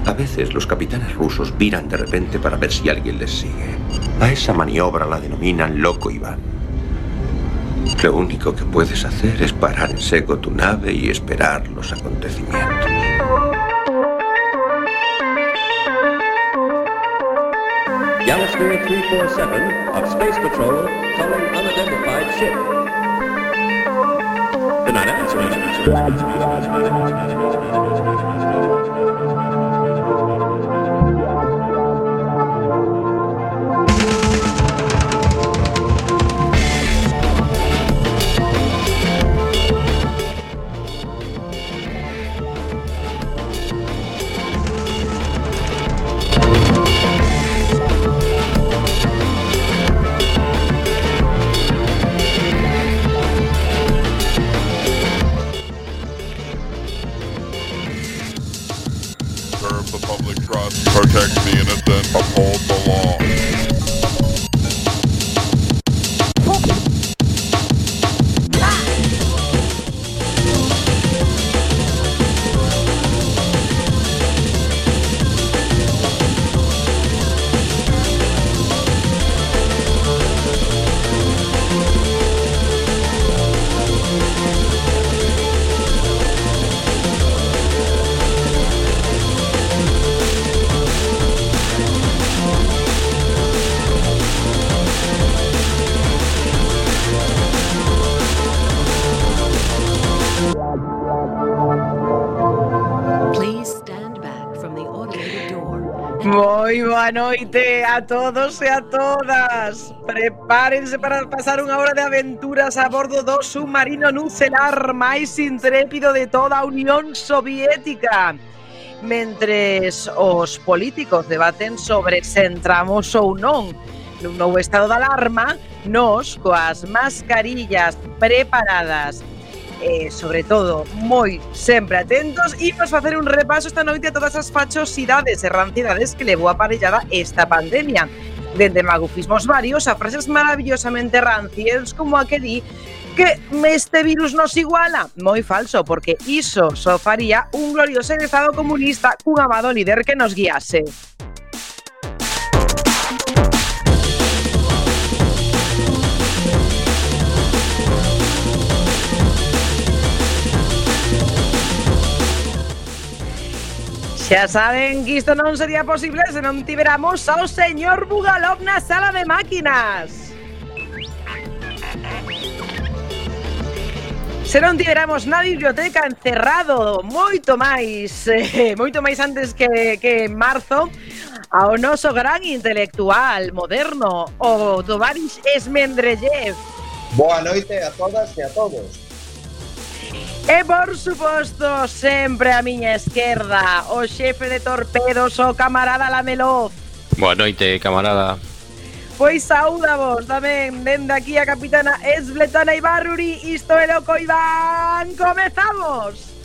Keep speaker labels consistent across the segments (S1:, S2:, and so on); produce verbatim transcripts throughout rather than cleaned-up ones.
S1: A veces los capitanes rusos viran de repente para ver si alguien les sigue. A esa maniobra la denominan loco Iván. Lo único que puedes hacer es parar en seco tu nave y esperar los acontecimientos.
S2: Galasphere three forty-seven of Space Patrol calling unidentified ship. Good night,
S3: Protect the innocent, uphold the law.
S4: Moi boa noite a todos e a todas. Prepárense para pasar unha hora de aventuras a bordo do submarino nucelar máis intrépido de toda a Unión Soviética. Mentres os políticos debaten sobre se entramos ou non nun novo estado de alarma, nos, coas mascarillas preparadas, e, sobre todo, moi sempre atentos, imos facer un repaso esta noite a todas as fachosidades e ranciedades que levou aparellada esta pandemia. Dende magufismos varios a frases maravillosamente rancias como a que di que este virus nos iguala. Moi falso, porque iso só faría un glorioso estado comunista cun amado líder que nos guiase. Xa saben que isto non sería posible se non tiveramos ao señor Bugalov na sala de máquinas. Se non tiveramos na biblioteca encerrado moito máis, eh, moito máis antes que, que en marzo, ao noso gran intelectual moderno, o Tovarish Esmendrellev.
S5: Boa noite a todas e a todos.
S4: E, por suposto, sempre a miña esquerda, o xefe de torpedos, o camarada Lamelov.
S6: Boa noite, camarada.
S4: Pois saúdavos tamén dende aquí a capitana Svetlana Ibarruri. Isto é Loco Iván. Comezamos!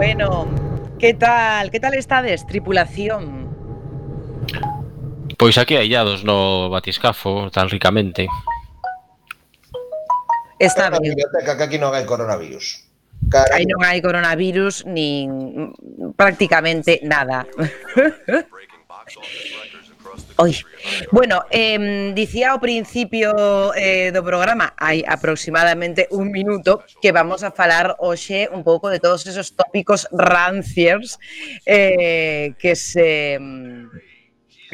S4: Bueno, que tal? Que tal estades, tripulación?
S6: Pois aquí aillados no batiscafo tan ricamente.
S4: Está
S5: na
S4: ben.
S5: biblioteca que aquí non hai coronavirus.
S4: Aí non hai coronavirus nin prácticamente nada. Oi. Bueno, eh, dicía ao principio eh, do programa, hai aproximadamente un minuto, que vamos a falar hoxe un pouco de todos esos tópicos ranciers eh, que se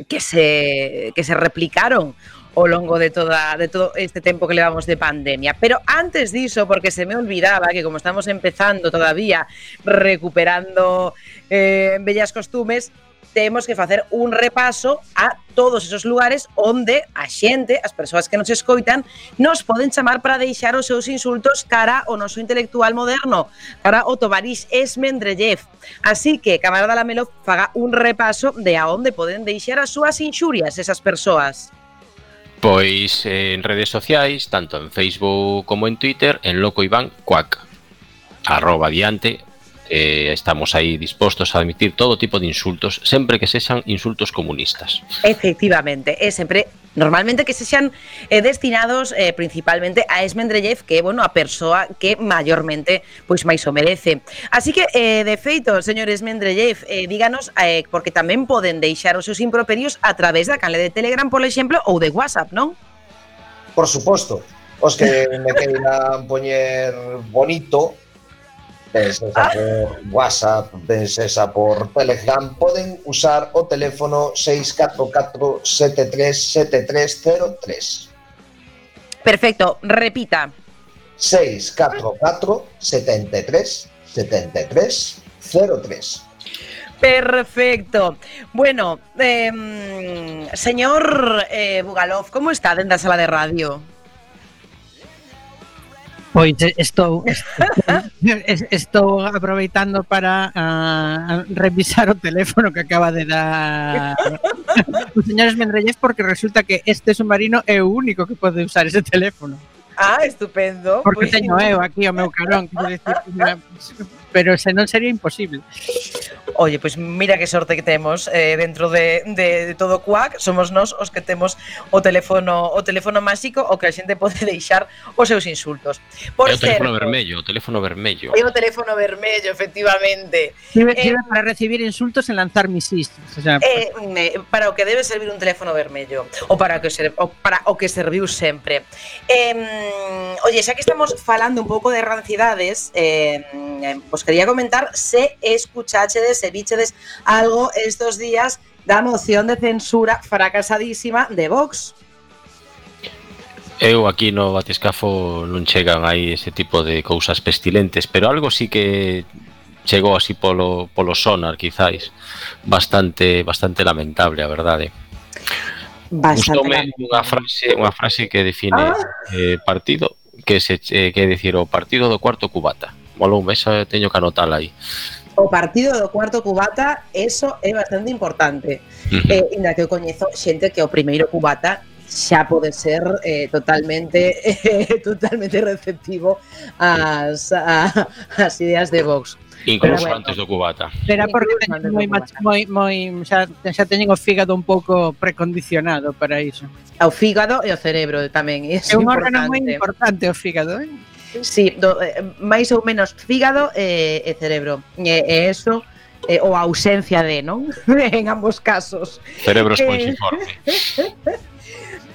S4: que se que se replicaron ao longo de toda de todo este tempo que levamos de pandemia. Pero antes diso, porque se me olvidaba que como estamos empezando todavía recuperando eh, bellas costumes, temos que facer un repaso a todos esos lugares onde a xente, as persoas que nos escoitan, nos poden chamar para deixar os seus insultos cara ao noso intelectual moderno, cara ao Tovarix Esmendrellev. Así que, camarada Lamelo, faga un repaso de a onde poden deixar as súas inxurias esas persoas.
S6: Pois en redes sociais, tanto en Facebook como en Twitter, en Loco Iván Cuac, arroba adiante, eh, estamos aí dispostos a admitir todo tipo de insultos, sempre que sexan insultos comunistas.
S4: Efectivamente, é sempre, normalmente que sexan eh, destinados eh, principalmente a Esmendrellev, que é, bueno, a persoa que maiormente pois máis o merece. Así que, eh, de feito, señor Esmendrellev, eh, díganos, eh, porque tamén poden deixar os seus improperios a través da canle de Telegram, por exemplo, ou de WhatsApp, non?
S5: Por suposto, os que me queiran poñer bonito, ben sexa por WhatsApp, ben sexa por Telegram, poden usar o teléfono seis catro catro sete tres sete tres cero tres.
S4: Perfecto, repita.
S5: seis catro catro sete tres sete tres cero tres.
S4: Perfecto. Bueno, eh, señor eh, Bugalov, ¿cómo está dentro da sala de radio?
S7: Pois estou, estou, estou aproveitando para uh, revisar o teléfono que acaba de dar o señor Esmendrellev, porque resulta que este submarino é o único que pode usar ese teléfono.
S4: Ah, estupendo.
S7: Porque
S4: pues...
S7: teño eu aquí o meu carón, decir, pero se non sería imposible.
S4: Oye, pois pues mira que sorte que temos eh, dentro de, de, de todo Cuac, somos nós os que temos o teléfono o teléfono máxico o que a xente pode deixar os seus insultos. Por
S6: é o teléfono
S4: certo,
S6: vermello, o teléfono vermello.
S4: É o teléfono vermello, efectivamente.
S7: Sirve,
S4: eh,
S7: sirve para recibir insultos e lanzar misis. O sea,
S4: eh, para o que debe servir un teléfono vermello, ou para o que, ser, ou para o que serviu sempre. Eh, oye, xa que estamos falando un pouco de rancidades, eh, vos quería comentar se escuchachedes, se vichedes algo estos días da moción de censura fracasadísima de Vox.
S6: Eu aquí no Batiscafo non chegan aí ese tipo de cousas pestilentes, pero algo sí que chegou así polo, polo sonar, quizáis, bastante bastante lamentable, a verdade. Gustoume unha frase, unha frase que define ah. eh, partido, que se eh, que decir o partido do cuarto cubata. Moloume, esa teño que anotala aí.
S4: O partido do cuarto cubata, eso é bastante importante. Uh -huh. eh, inda que eu coñezo xente que o primeiro cubata xa pode ser eh, totalmente eh, totalmente receptivo ás, a, as ideas de Vox.
S6: Incluso bueno, antes do cubata.
S7: Será porque teñen moi, moi, moi, xa, xa teñen o fígado un pouco precondicionado para iso.
S4: O fígado e o cerebro tamén. É
S7: un órgano moi importante o fígado, eh?
S4: Sí, do, eh, máis ou menos fígado e, e cerebro. E, e eso, eh, ou a ausencia de, non? En ambos casos.
S6: Cerebro esponxiforme.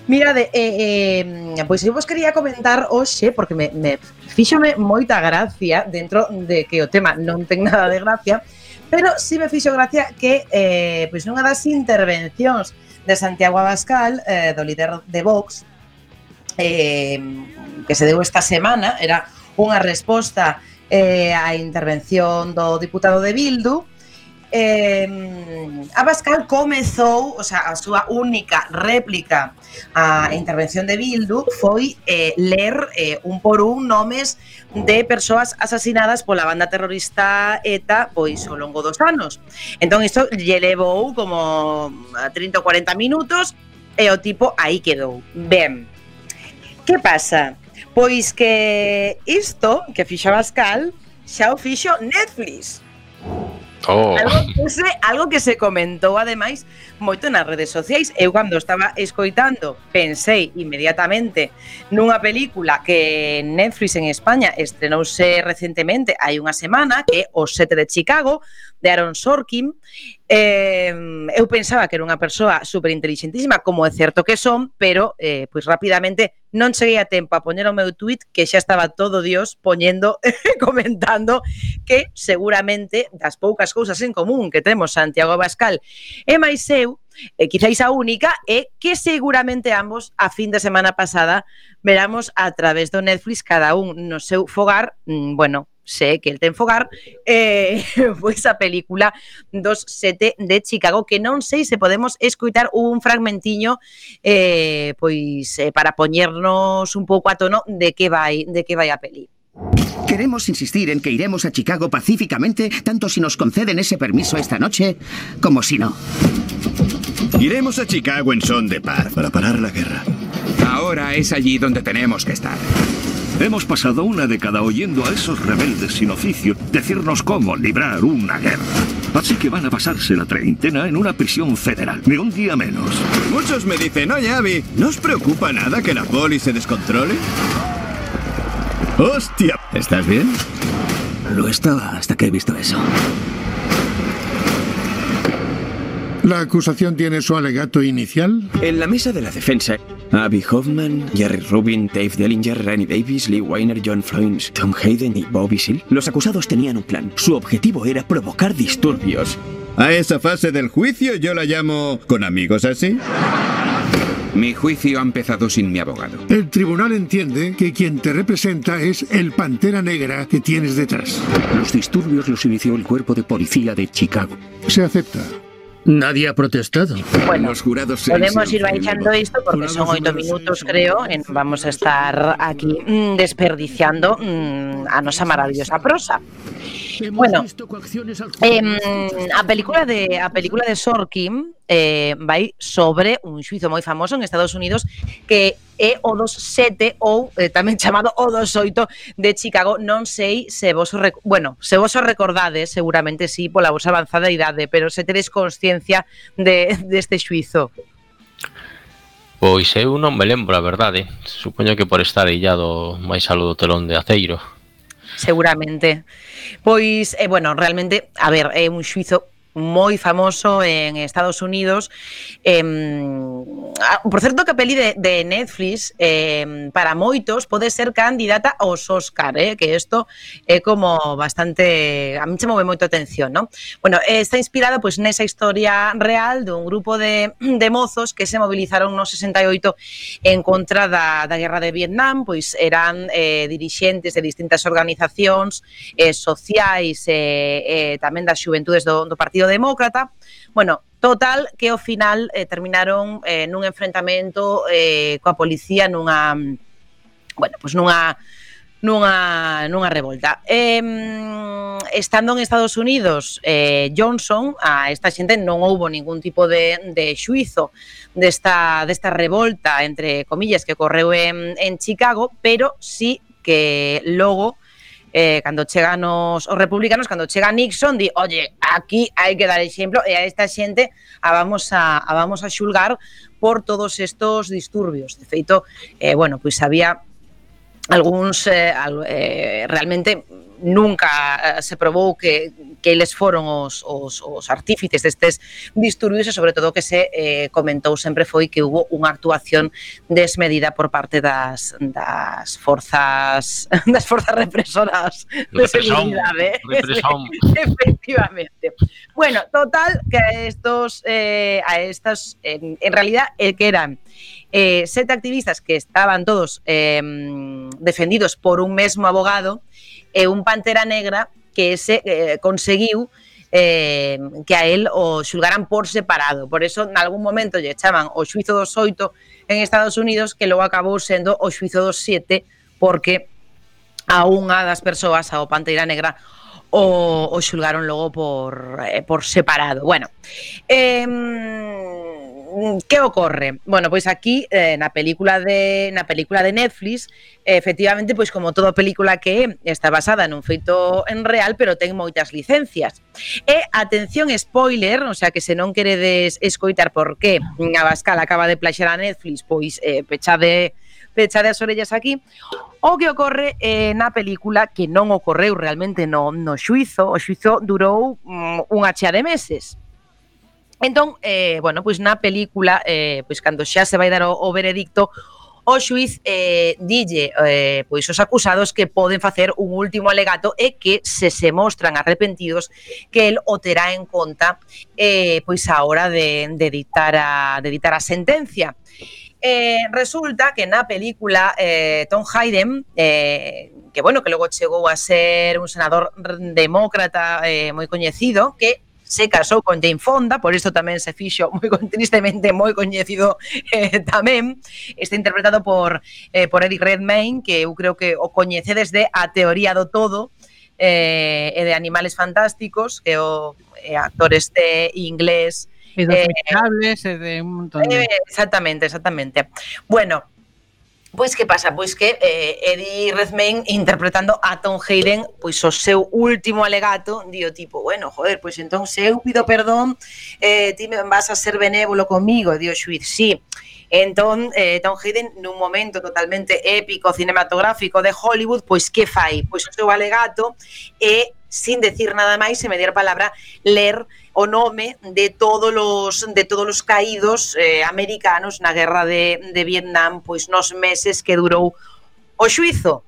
S4: Mirade, eh, eh, pois eu vos quería comentar hoxe, porque me, me fíxome moita gracia dentro de que o tema non ten nada de gracia, pero si me fixo gracia que eh, pois nunha das intervencións de Santiago Abascal, eh, do líder de Vox, eh, que se deu esta semana, era unha resposta eh, á intervención do diputado de Bildu. eh, Abascal comezou, o sea, a súa única réplica á intervención de Bildu foi eh, ler eh, un por un nomes de persoas asasinadas pola banda terrorista ETA pois ao longo dos anos. Entón isto lle levou como trinta ou cuarenta minutos e o tipo aí quedou. Ben, que pasa? Pois que isto que fixo Abascal xa o fixo Netflix.
S6: Oh.
S4: Algo, que se, algo que se comentou ademais moito nas redes sociais. Eu cando estaba escoitando pensei inmediatamente nunha película que Netflix en España estrenouse recentemente hai unha semana, que é Os Sete de Chicago, de Aaron Sorkin. eh, Eu pensaba que era unha persoa superinteligentísima, como é certo que son, pero eh, pois rapidamente non cheguei a tempo a poñer o meu tweet, que xa estaba todo Dios poñendo, comentando que seguramente das poucas cousas en común que temos Santiago Abascal e máis eu, e quizáis a única, é que seguramente ambos a fin de semana pasada veramos a través do Netflix, cada un no seu fogar, mmm, bueno, sé que el ten fogar, eh, pois a película dos sete de Chicago, que non sei se podemos escoitar un fragmentiño eh, pois eh, para poñernos un pouco a tono de que vai, de que vai a peli.
S8: Queremos insistir en que iremos a Chicago pacíficamente, tanto si nos conceden ese permiso esta noche, como si no.
S9: Iremos a Chicago en son de paz, para parar la guerra.
S10: Ahora es allí donde tenemos que estar.
S11: Hemos pasado una década oyendo a esos rebeldes sin oficio decirnos cómo librar una guerra. Así que van a pasarse la treintena en una prisión federal, ni un día menos.
S9: Muchos me dicen, oye, Abby, ¿no os preocupa nada que la poli se descontrole? ¡Hostia! ¿Estás bien?
S8: Lo estaba hasta que he visto eso.
S12: ¿La acusación tiene su alegato inicial?
S10: En la mesa de la defensa, Abby Hoffman, Jerry Rubin, Dave Dellinger, Randy Davis, Lee Weiner, John Floynes, Tom Hayden y Bobby Seale. Los acusados tenían un plan. Su objetivo era provocar disturbios.
S9: A esa fase del juicio yo la llamo ¿con amigos así?
S10: Mi juicio ha empezado sin mi abogado.
S12: El tribunal entiende que quien te representa es el Pantera Negra que tienes detrás.
S11: Los disturbios los inició el cuerpo de policía de Chicago.
S12: Se acepta.
S11: Nadie ha protestado.
S4: Bueno,
S9: los jurados
S4: podemos ir baixando isto porque son oito minutos, creo, en vamos a estar aquí mmm, desperdiciando mmm, a nosa maravillosa prosa. Bueno, eh, a película de a película de Sorkin eh, vai sobre un xuizo moi famoso en Estados Unidos que é o dos sete ou eh, tamén chamado o dos oito de Chicago. Non sei se vos o rec... bueno, se vos o recordades, seguramente sí, pola vosa avanzada idade, pero se tedes consciencia de deste xuizo.
S6: Pois eu non me lembro, a verdade. Supoño que por estar illado máis algo do telón de aceiro.
S4: Seguramente. Pois, eh, bueno, realmente, a ver, é un xuizo moi famoso en Estados Unidos. Eh, por certo, que a peli de, de Netflix eh, para moitos pode ser candidata aos Óscar, eh, que isto é como bastante... A mí se move moito atención, ¿no? Bueno, eh, está inspirada pois, nesa historia real dun grupo de, de mozos que se movilizaron no sesenta e oito en contra da, da guerra de Vietnam, pois eran eh, dirixentes de distintas organizacións eh, sociais e eh, eh, tamén das xuventudes do, do Partido Demócrata. Bueno, total, que ao final eh, terminaron eh, nun enfrentamento eh, coa policía nunha, bueno, pues nunha nunha nunha revolta. Eh, estando en Estados Unidos, eh, Johnson, a esta xente non houbo ningún tipo de, de xuizo desta, desta revolta, entre comillas, que ocorreu en, en Chicago, pero sí que logo Eh, cando chegan os, os republicanos, cando chega Nixon, di, oye, aquí hai que dar exemplo e a esta xente a vamos a, a vamos a xulgar por todos estos disturbios. De feito, eh, bueno, pois había algúns eh, al, eh, realmente nunca se probou que, que eles foron os, os, os artífices destes disturbios e sobre todo que se eh, comentou sempre foi que hubo unha actuación desmedida por parte das, das forzas das forzas represoras de seguridade. Efectivamente. Bueno, total, que a estos eh, a estas en, en realidad eh, que eran eh, sete activistas que estaban todos eh, defendidos por un mesmo abogado e un Pantera Negra que ese eh, conseguiu eh, que a él o xulgaran por separado. Por eso, en algún momento lle chaman o xuizo dos oito en Estados Unidos, que logo acabou sendo o xuizo dos sete, porque a unha das persoas, ao Pantera Negra, o, o xulgaron logo por, eh, por separado. Bueno, eh, que ocorre? Bueno, pois aquí eh, na película de na película de Netflix, eh, efectivamente, pois como toda película que é, está basada nun feito en real, pero ten moitas licencias. E atención, spoiler, o sea que se non queredes escoitar por que Abascal acaba de plaxar a Netflix, pois eh, pechade pechade as orellas aquí. O que ocorre eh, na película, que non ocorreu realmente no, no xuizo, o xuizo durou mm, unha chea de meses. Entón, eh, bueno, pois na película, eh, pois cando xa se vai dar o, o veredicto, o xuiz eh, dille eh, pois os acusados que poden facer un último alegato e que se se mostran arrepentidos que el o terá en conta eh, pois a hora de, de, dictar a, de dictar a sentencia. eh, resulta que na película eh, Tom Hayden, eh, que bueno, que logo chegou a ser un senador demócrata eh, moi coñecido, que se casou con Jane Fonda, por isto tamén se fixo moi tristemente moi coñecido eh, tamén. Está interpretado por eh, por Eddie Redmayne, que eu creo que o coñecedes de A Teoría do Todo, eh, e de Animales Fantásticos, que o eh, actor este inglés.
S7: E dos Miserables, e de un montón de...
S4: Eh, exactamente, exactamente. Bueno, pois que pasa? Pois que eh, Eddie Redmayne interpretando a Tom Hayden, pois o seu último alegato, dio tipo, bueno, joder, pois entón se eu pido perdón, eh, ti me vas a ser benévolo comigo, dio xuiz, sí. Entón, eh, Tom Hayden, nun momento totalmente épico, cinematográfico de Hollywood, pois que fai? Pois o seu alegato e, sin decir nada máis, se me diera palabra, ler o nome de todos os de todos os caídos eh, americanos na guerra de, de Vietnam, pois nos meses que durou o xuizo.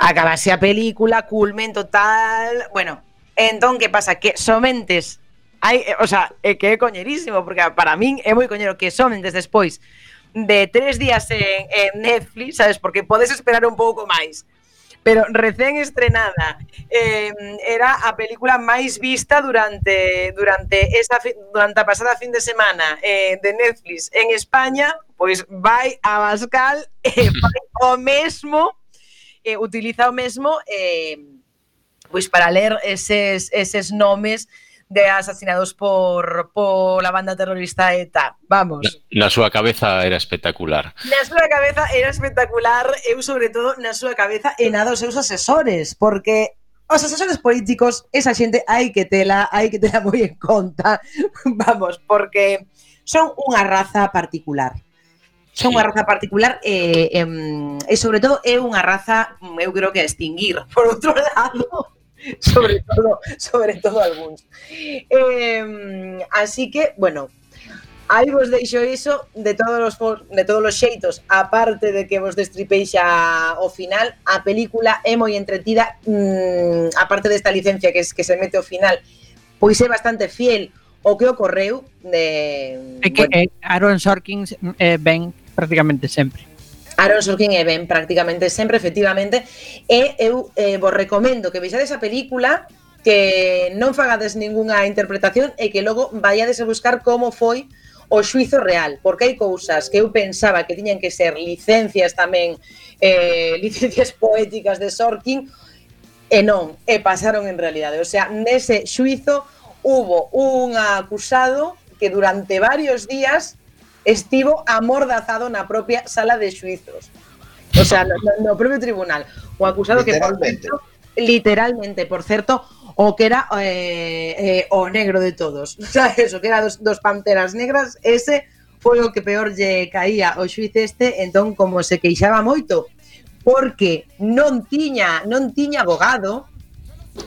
S4: Acabase a película, culmen total. Bueno, entón, que pasa? Que somentes hai, o sea, é que é coñerísimo, porque para min é moi coñero que somentes despois de tres días en, en Netflix, sabes, porque podes esperar un pouco máis. Pero recén estrenada, eh, era a película máis vista durante durante esa durante a pasada fin de semana eh, de Netflix en España, pois vai a Bascal e vai o mesmo, eh, utiliza o mesmo eh, pois para ler eses, eses nomes de asasinados por, por la banda terrorista ETA, vamos.
S6: Na, na súa cabeza era espectacular.
S4: Na súa cabeza era espectacular, eu sobre todo na súa cabeza e na dos seus asesores, porque os asesores políticos, esa xente hai que tela, hai que tela moi en conta, vamos, porque son unha raza particular. Son unha raza particular e, e, e sobre todo é unha raza, eu creo que a extinguir, por outro lado. sobre todo, sobre todo algúns. Eh, así que, bueno, aí vos deixo iso de todos os de todos os xeitos, aparte de que vos destripei xa o final, a película é moi entretida, mmm, aparte desta licencia que, es, que se mete ao final, pois é bastante fiel o que ocorreu de...
S7: É que bueno, Aaron Sorkin eh, ven prácticamente sempre.
S4: Aaron Sorkin e ben prácticamente sempre, efectivamente, e eu eh, vos recomendo que vexades a película, que non fagades ningunha interpretación e que logo vaiades a buscar como foi o xuizo real, porque hai cousas que eu pensaba que tiñan que ser licencias tamén, eh, licencias poéticas de Sorkin, e non, e pasaron en realidade. O sea, nese xuizo hubo un acusado que durante varios días estivo amordazado na propia sala de xuizos. O sea, no, no propio tribunal. O acusado que, por certo, literalmente, por certo, o que era eh, eh, o negro de todos. O sea, eso, que era dos, dos panteras negras, ese foi o que peor lle caía o xuiz este, entón, como se queixaba moito, porque non tiña, non tiña abogado,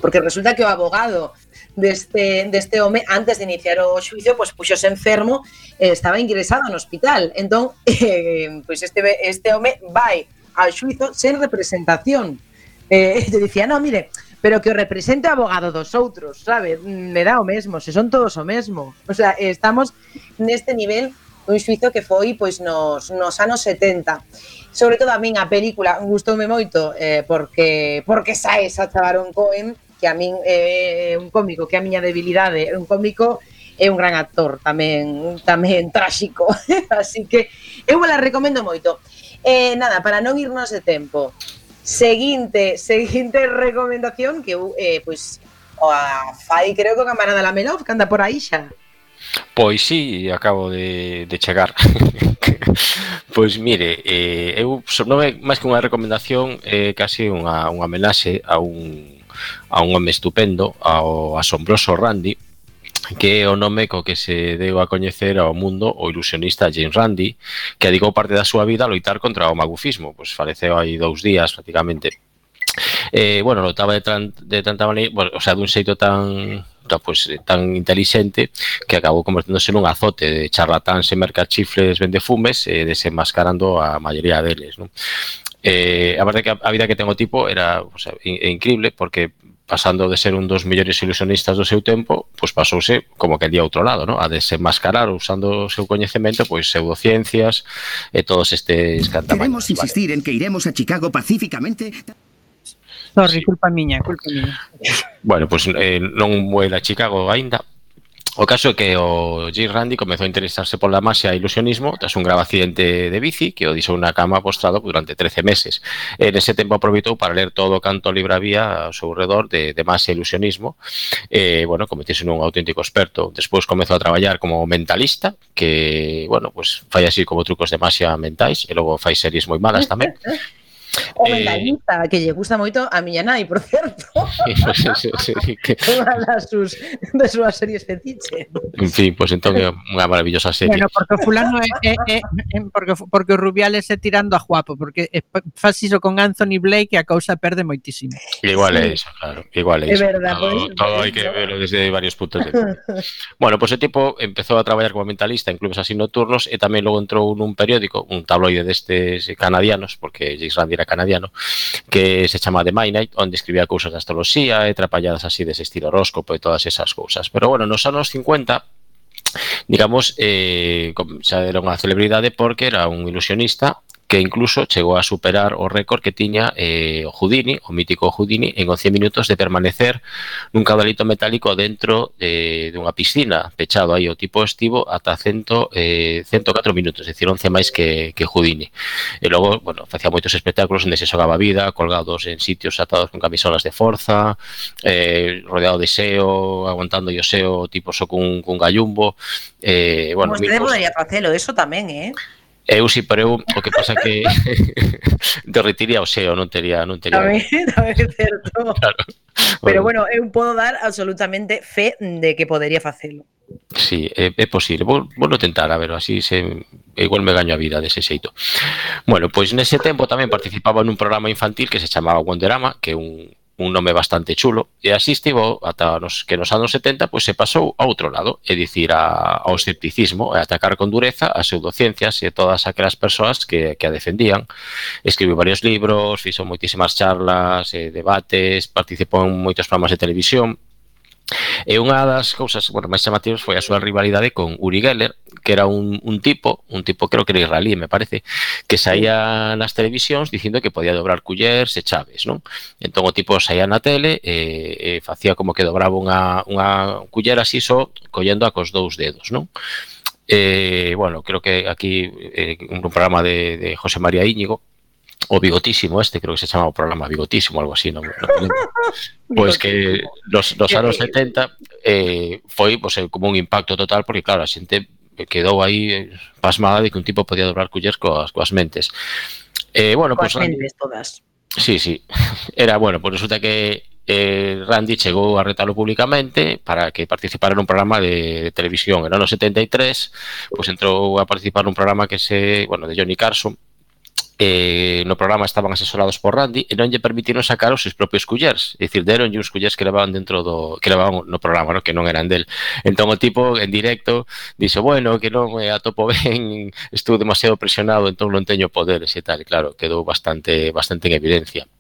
S4: porque resulta que o abogado deste, deste home, antes de iniciar o xuicio, pois puxose enfermo, eh, estaba ingresado no hospital. Entón, eh, pois este, este home vai ao xuizo sen representación. Eh, te dicía, no, mire, pero que o represente o abogado dos outros, sabe? Me dá o mesmo, se son todos o mesmo. O sea, estamos neste nivel dun xuizo que foi pois nos, nos anos setenta. Sobre todo a min a película gustoume moito eh, porque porque sae Sacha Baron Cohen, que a min é un cómico, que a miña debilidade é un cómico, é un gran actor, tamén tamén tráxico. Así que eu la recomendo moito. Eh, nada, para non irnos de tempo, seguinte, seguinte recomendación que eu, eh, pois, a fai creo que o camarada Lamelov, que anda por aí xa.
S6: Pois sí, acabo de, de chegar. Pois mire, eh, eu non é máis que unha recomendación, é eh, casi unha, unha homenaxe a un a un home estupendo, ao asombroso Randi, que é o nome co que se deu a coñecer ao mundo o ilusionista James Randi, que dedicou parte da súa vida a loitar contra o magufismo. Pois faleceu hai dous días prácticamente. Eh, bueno, loitaba de, tran, de tanta maneira, bueno, o sea, dun xeito tan pues, tan intelixente que acabou converténdose nun azote de charlatáns e mercachifles vendefumes e eh, desenmascarando a maioría deles, non? Eh, a verdade que a vida que ten o tipo era, o sea, in, increíble, porque pasando de ser un dos mellores ilusionistas do seu tempo, pois pasouse como que día outro lado, ¿no? A desenmascarar usando o seu coñecemento, pois pseudociencias e todos estes cantamaños.
S8: Queremos insistir vale. en que iremos a Chicago pacíficamente.
S7: Sorry, sí. culpa miña, culpa miña.
S6: Bueno, pois eh, non vuela a Chicago aínda. O caso é que o Jim Randi comezou a interesarse pola masia e ilusionismo tras un grave accidente de bici que o deixou na cama postrado durante trece meses. En ese tempo aproveitou para ler todo o canto libre había ao seu redor de, de masia e ilusionismo. E, bueno, convertirse nun auténtico experto. Despois comezou a traballar como mentalista, que, bueno, pues fai así como trucos de masia mentais, e logo fai series moi malas tamén.
S4: O mentalista, eh, que lle gusta moito a miña nai, por certo.
S6: Pues, sí, sí, sí, que...
S4: Unha das sus, de súas series fetiche.
S6: En fin, pois pues, entón é unha maravillosa serie.
S7: Bueno, porque o fulano é, é, é, é porque, porque o Rubiales é tirando a guapo, porque faz iso con Anthony Blake e a cousa perde moitísimo.
S6: Igual
S7: sí.
S6: é iso, claro. Igual é iso.
S4: É verdad,
S6: todo,
S4: pues,
S6: todo hai que verlo desde varios puntos de vista. Bueno, pois pues, o tipo empezou a traballar como mentalista en clubes así nocturnos e tamén logo entrou nun periódico, un tabloide destes canadianos, porque James Randi era canadiano, que se chama The Midnight, onde escribía cousas de astroloxía e trapalladas así dese estilo horóscopo e todas esas cousas. Pero bueno, nos anos cincuenta, digamos, eh, xa era unha celebridade porque era un ilusionista que incluso chegou a superar o récord que tiña eh, o Houdini, o mítico Houdini, en once minutos de permanecer nun caudalito metálico dentro de, de unha piscina, pechado aí o tipo estivo ata cento, eh, ciento catro minutos, é dicir, once máis que, que Houdini. E logo, bueno, facía moitos espectáculos onde se xogaba vida, colgados en sitios atados con camisolas de forza, eh, rodeado de seo, aguantando o seo, tipo só cun, cun gallumbo. Eh, bueno,
S4: Vostede podería facelo, eso tamén, eh?
S6: Eu si, pero eu o que pasa que derretiría o seo, non tería, non tería.
S4: Tamén, tamén é certo.
S6: Claro.
S4: Pero bueno, eu podo dar absolutamente fe de que podería facelo.
S6: Sí, é, é posible. Vou, vou no tentar, a ver, así se igual me gaño a vida dese xeito. Bueno, pois nese tempo tamén participaba nun programa infantil que se chamaba Wonderama, que é un un nome bastante chulo, e así estivo ata nos, que nos anos setenta pois se pasou a outro lado, é dicir, a, ao escepticismo, e atacar con dureza as pseudociencias e todas aquelas persoas que, que a defendían. Escribiu varios libros, fixo moitísimas charlas, eh, debates, participou en moitos programas de televisión. E unha das cousas, bueno, máis chamativas foi a súa rivalidade con Uri Geller, que era un, un tipo, un tipo creo que era israelí, me parece, que saía nas televisións dicindo que podía dobrar cullers e chaves, non? Entón o tipo saía na tele e, e facía como que dobraba unha, unha culler así só collendo a cos dous dedos, non? E, bueno, creo que aquí eh, un programa de, de José María Íñigo, o Bigotísimo este, creo que se chama o programa Bigotísimo, algo así, non? Pois que nos, nos anos setenta eh, foi pues, como un impacto total, porque claro, a xente quedou aí pasmada de que un tipo podía dobrar cullers coas, coas mentes. Eh, bueno,
S4: coas
S6: pues,
S4: mentes todas.
S6: Sí, sí. Era, bueno, pues resulta que eh, Randi chegou a retalo públicamente para que participara nun programa de, de televisión. En o ano setenta e tres, pues entrou a participar nun programa que se, bueno, de Johnny Carson. Eh, no programa estaban asesorados por Randi e non lle permitiron sacar os seus propios cullers, é dicir, deron uns cullers que levaban dentro do que levaban no programa, ¿no? Que non eran del. Entón o tipo en directo dixo, bueno, que non me atopo ben, estuve demasiado presionado, entón non teño poderes e tal, e claro, quedou bastante bastante en evidencia.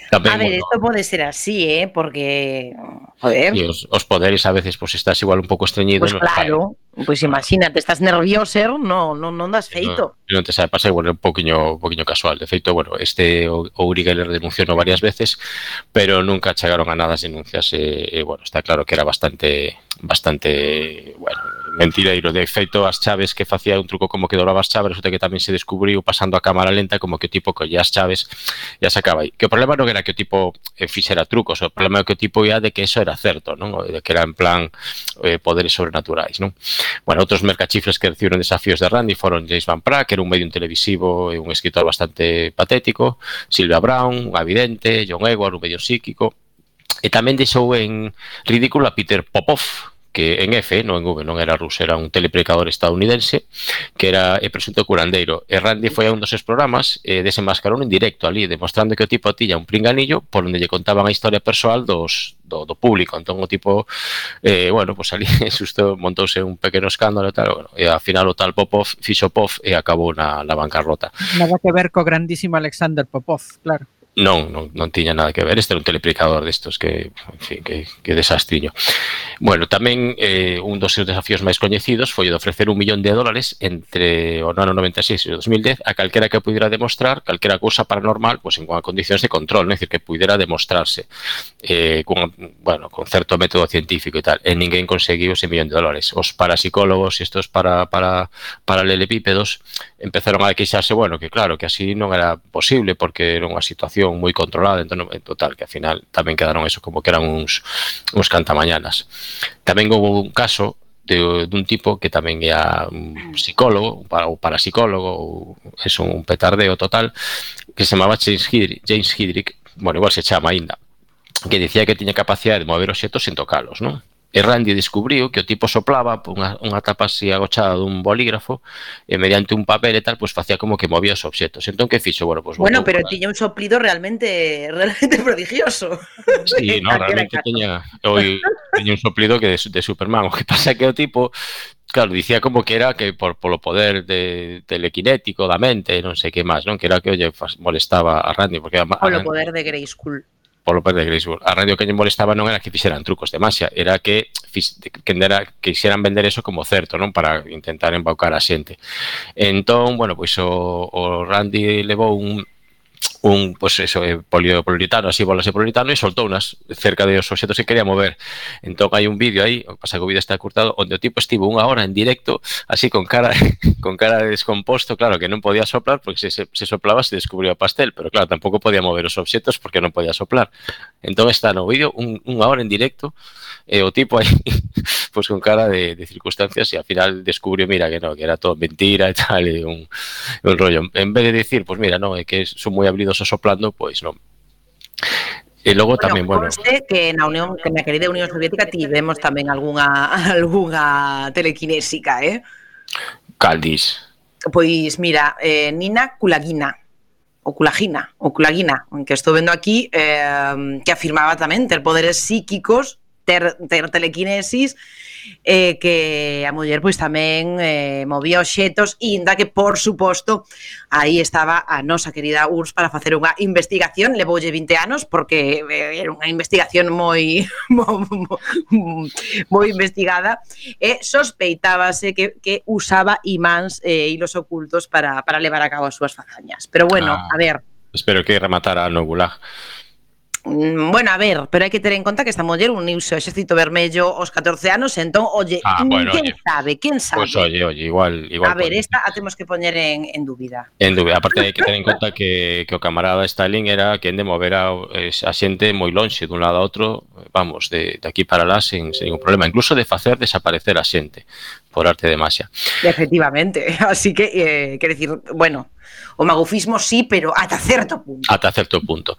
S6: Tamén,
S4: a ver,
S6: bueno,
S4: esto pode ser así, ¿eh? Porque, joder...
S6: Sí, os, os poderes a veces pues estás igual un pouco estreñido.
S4: Pues no, claro, pois pues imagínate, estás nervioso, no, no, non das feito.
S6: Non, non te sabe pasar, igual é un poquinho, un poquinho casual. De feito, bueno, este o, o Uri Geller denunciou varias veces, pero nunca chegaron a nada as denuncias e, e bueno, está claro que era bastante, bastante, bueno, mentireiro. De feito, as chaves que facía un truco como que dobraba as chaves, resulta que tamén se descubriu pasando a cámara lenta como que o tipo collía as chaves e as sacaba aí. Que o problema non era que o tipo eh, fixera trucos, o problema é que o tipo ia de que eso era certo, non? De que era en plan eh, poderes sobrenaturais, non? Bueno, outros mercachifres que recibiron desafíos de Randi foron James Van Praagh, que era un medio televisivo e un escritor bastante patético, Sylvia Browne, un vidente, John Edward, un medio psíquico, e tamén deixou en ridículo a Peter Popov, que en F, non en V, non era ruso, era un telepredicador estadounidense que era e presunto curandeiro. E Randi foi a un dos seus programas e desenmascarou en directo ali, demostrando que o tipo tiña un pringanillo por onde lle contaban a historia persoal dos, do, do público. Entón o tipo, eh, bueno, pues ali susto montouse un pequeno escándalo e tal, bueno, e ao final o tal Popov fixo Pov e acabou na, na bancarrota.
S7: Nada que ver co grandísimo Alexander Popov, claro.
S6: Non, non, non tiña nada que ver. Este era un teleplicador destos que, en fin, que, que desastriño. Bueno, tamén eh, un dos seus desafíos máis coñecidos foi o de ofrecer un millón de dólares entre o ano noventa e seis e o dos mil dez a calquera que pudera demostrar calquera cousa paranormal, pois en condicións de control, é dicir, que pudera demostrarse eh, con, bueno, con certo método científico e tal. E ninguén conseguiu ese millón de dólares. Os parapsicólogos e estos para, para, paralelepípedos empezaron a queixarse, bueno, que claro, que así non era posible porque era unha situación moi controlada, entón, en total, que ao final tamén quedaron eso como que eran uns, uns cantamañanas. Tamén houve un caso de, dun tipo que tamén era un psicólogo, ou parapsicólogo, ou é un petardeo total, que se chamaba James Hidrick, James Hidrick, bueno, igual se chama aínda, que dicía que tiña capacidade de mover obxetos sen tocalos, non? E Randy descubriu que o tipo soplaba unha, unha tapa así agochada dun bolígrafo e mediante un papel e tal, pois facía como que movía os obxetos. Entón, que fixo? Bueno, pois
S4: bueno, pero tiña un soplido realmente realmente prodigioso.
S6: Sí, no, realmente tiña, oi, tiña un soplido que de, de Superman. O que pasa é que o tipo, claro, dicía como que era que por polo poder de telequinético da mente, non sei que máis, non? Que era que olle molestaba a Randy, porque a, a,
S4: polo poder de Grayskull.
S6: Polo poder de Grayskull. A radio que lle molestaba non era que fixeran trucos de magia, era que que era, que quixeran vender eso como certo, non? Para intentar embaucar a xente. Entón, bueno, pois o, o Randy levou un un, pues eso, eh, poliuretano, así bolas de poliuretano e soltou unas cerca dos obxetos que quería mover. Entón hai un vídeo aí, o pasa que o vídeo está cortado, onde o tipo estivo unha hora en directo, así con cara con cara de descomposto, claro, que non podía soplar, porque se, se, se soplaba se descubriu o pastel, pero claro, tampouco podía mover os obxetos porque non podía soplar. Entón está no vídeo un, unha hora en directo, e o tipo aí, pues con cara de, de circunstancias, e ao final descubriu, mira, que no, que era todo mentira e tal, e un, un rollo. En vez de decir, pues mira, no, é que son moi habilidosos soplando, pois non. E logo
S4: bueno,
S6: tamén, bueno,
S4: conste que na Unión, que na querida Unión Soviética tivemos tamén algunha algunha telequinésica, eh?
S6: Caldis.
S4: Pois mira, eh, Nina Kulagina, o Kulagina, o Kulagina, que estou vendo aquí, eh, que afirmaba tamén ter poderes psíquicos, ter, ter telequinesis, eh, que a muller pois tamén eh, movía obxetos, e inda que, por suposto, aí estaba a nosa querida U R S S para facer unha investigación. Levoulle vinte anos, porque eh, era unha investigación moi moi, moi investigada, e sospeitábase que, que usaba imáns e eh, hilos ocultos para, para levar a cabo as súas fazañas. Pero bueno,
S6: ah,
S4: a ver...
S6: Espero que rematara no Gulag.
S4: Bueno, a ver, pero hai que ter en conta que esta muller uniuse ao Exército Vermello aos catorce anos, entón, oye,
S6: ah, bueno,
S4: quen
S6: oye.
S4: sabe, quen sabe?
S6: Pois pues, oye, oye, igual, igual.
S4: A ver, esta a temos que poñer en, en dúbida.
S6: En dúbida, aparte hai que ter en conta que, que o camarada Stalin era quen de mover a, a xente moi lonxe dun lado a outro, vamos, de, de aquí para lá sin, sin ningún problema, incluso de facer desaparecer a xente por arte de magia.
S4: Efectivamente, así que, eh, quer decir, bueno, o magufismo sí, pero ata certo punto.
S6: Ata certo punto.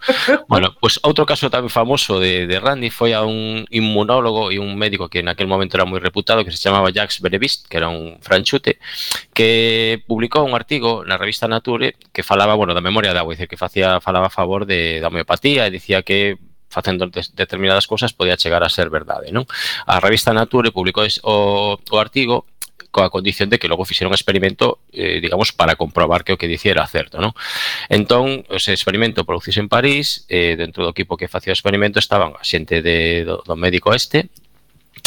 S6: Bueno, pues outro caso tamén famoso de, de Randy foi a un inmunólogo e un médico que en aquel momento era moi reputado, que se chamaba Jacques Benevist, que era un franchute, que publicou un artigo na revista Nature que falaba, bueno, da memoria de agua, dice que facía falaba a favor de, da homeopatía, e dicía que facendo determinadas cousas podía chegar a ser verdade, non? A revista Nature publicou o, o artigo coa condición de que logo fixeron un experimento, eh, digamos, para comprobar que o que dicía era certo, non? Entón, ese experimento produciuse en París, eh, dentro do equipo que facía o experimento estaban a xente de, do, do médico este,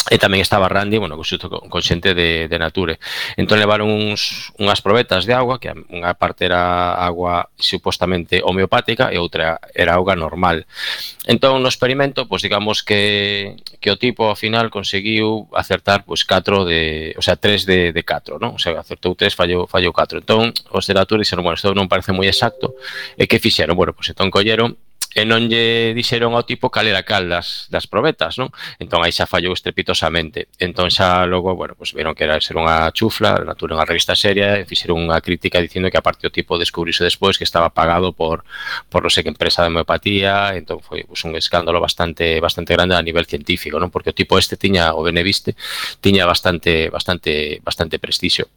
S6: e tamén estaba Randy, bueno, con, con xente de, de Nature. Entón levaron uns, unhas probetas de agua, que unha parte era agua supostamente homeopática e outra era auga normal. Entón no experimento, pois digamos que, que o tipo ao final conseguiu acertar pois catro de, o sea, tres de, de catro, non? O sea, acertou tres, fallou, fallou catro. Entón os de Nature dixeron, bueno, isto non parece moi exacto, e que fixeron? Bueno, pois entón colleron e non lle dixeron ao tipo cal era cal das, das probetas, non? Entón aí xa fallou estrepitosamente. Entón xa logo, bueno, pues viron que era ser unha chufla, Nature unha revista seria, e fixeron unha crítica dicindo que aparte o tipo descubriuse despois que estaba pagado por por non sei que empresa de homeopatía, entón foi pues, un escándalo bastante bastante grande a nivel científico, non? Porque o tipo este tiña, o Beneviste, tiña bastante bastante bastante prestixio.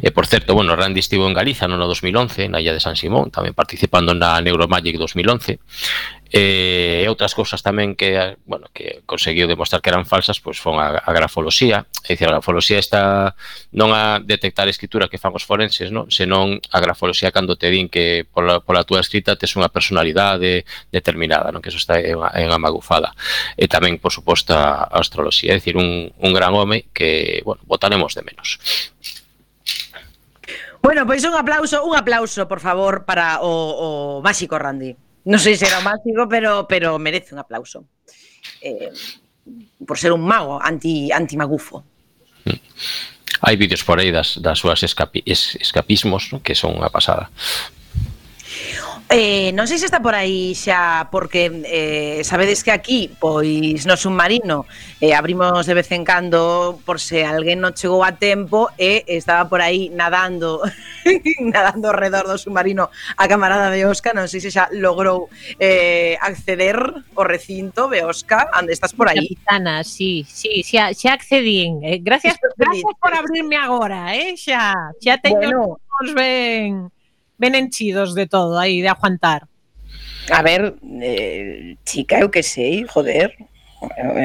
S6: E, por certo, bueno, Randy estivo en Galiza no ano dos mil once, na illa de San Simón, tamén participando na Neuromagic dos mil once. E outras cousas tamén que, bueno, que conseguiu demostrar que eran falsas, pois fon a, a grafoloxía. É dicir, a grafoloxía está non a detectar a escritura que fan os forenses, non? Senón a grafoloxía cando te din que pola, pola túa escrita tes unha personalidade determinada, non? Que eso está en, en a magufada. E tamén, por suposto, a, a astroloxía. É dicir, un, un gran home que, bueno, botaremos de menos.
S4: Bueno, pois un aplauso, un aplauso, por favor, para o, o máxico Randy. Non sei se era o máxico, pero, pero merece un aplauso. Eh, por ser un mago anti, anti-magufo.
S6: Hai vídeos por aí das, das súas escapi, es, escapismos, ¿no? Que son unha pasada.
S4: Eh, non sei se está por aí xa, porque eh, sabedes que aquí, pois no submarino eh, abrimos de vez en cando por se alguén non chegou a tempo e estaba por aí nadando nadando ao redor do submarino a camarada Beosca. Non sei se xa logrou eh, acceder ao recinto. Beosca, onde estás por aí?
S13: Capitana, sí, sí, xa, xa accedín. Eh, gracias, gracias por abrirme agora, eh, xa, xa teño bueno. Os ben... ben enchidos de todo aí, de aguantar.
S4: A ver, eh, chica, eu que sei, joder,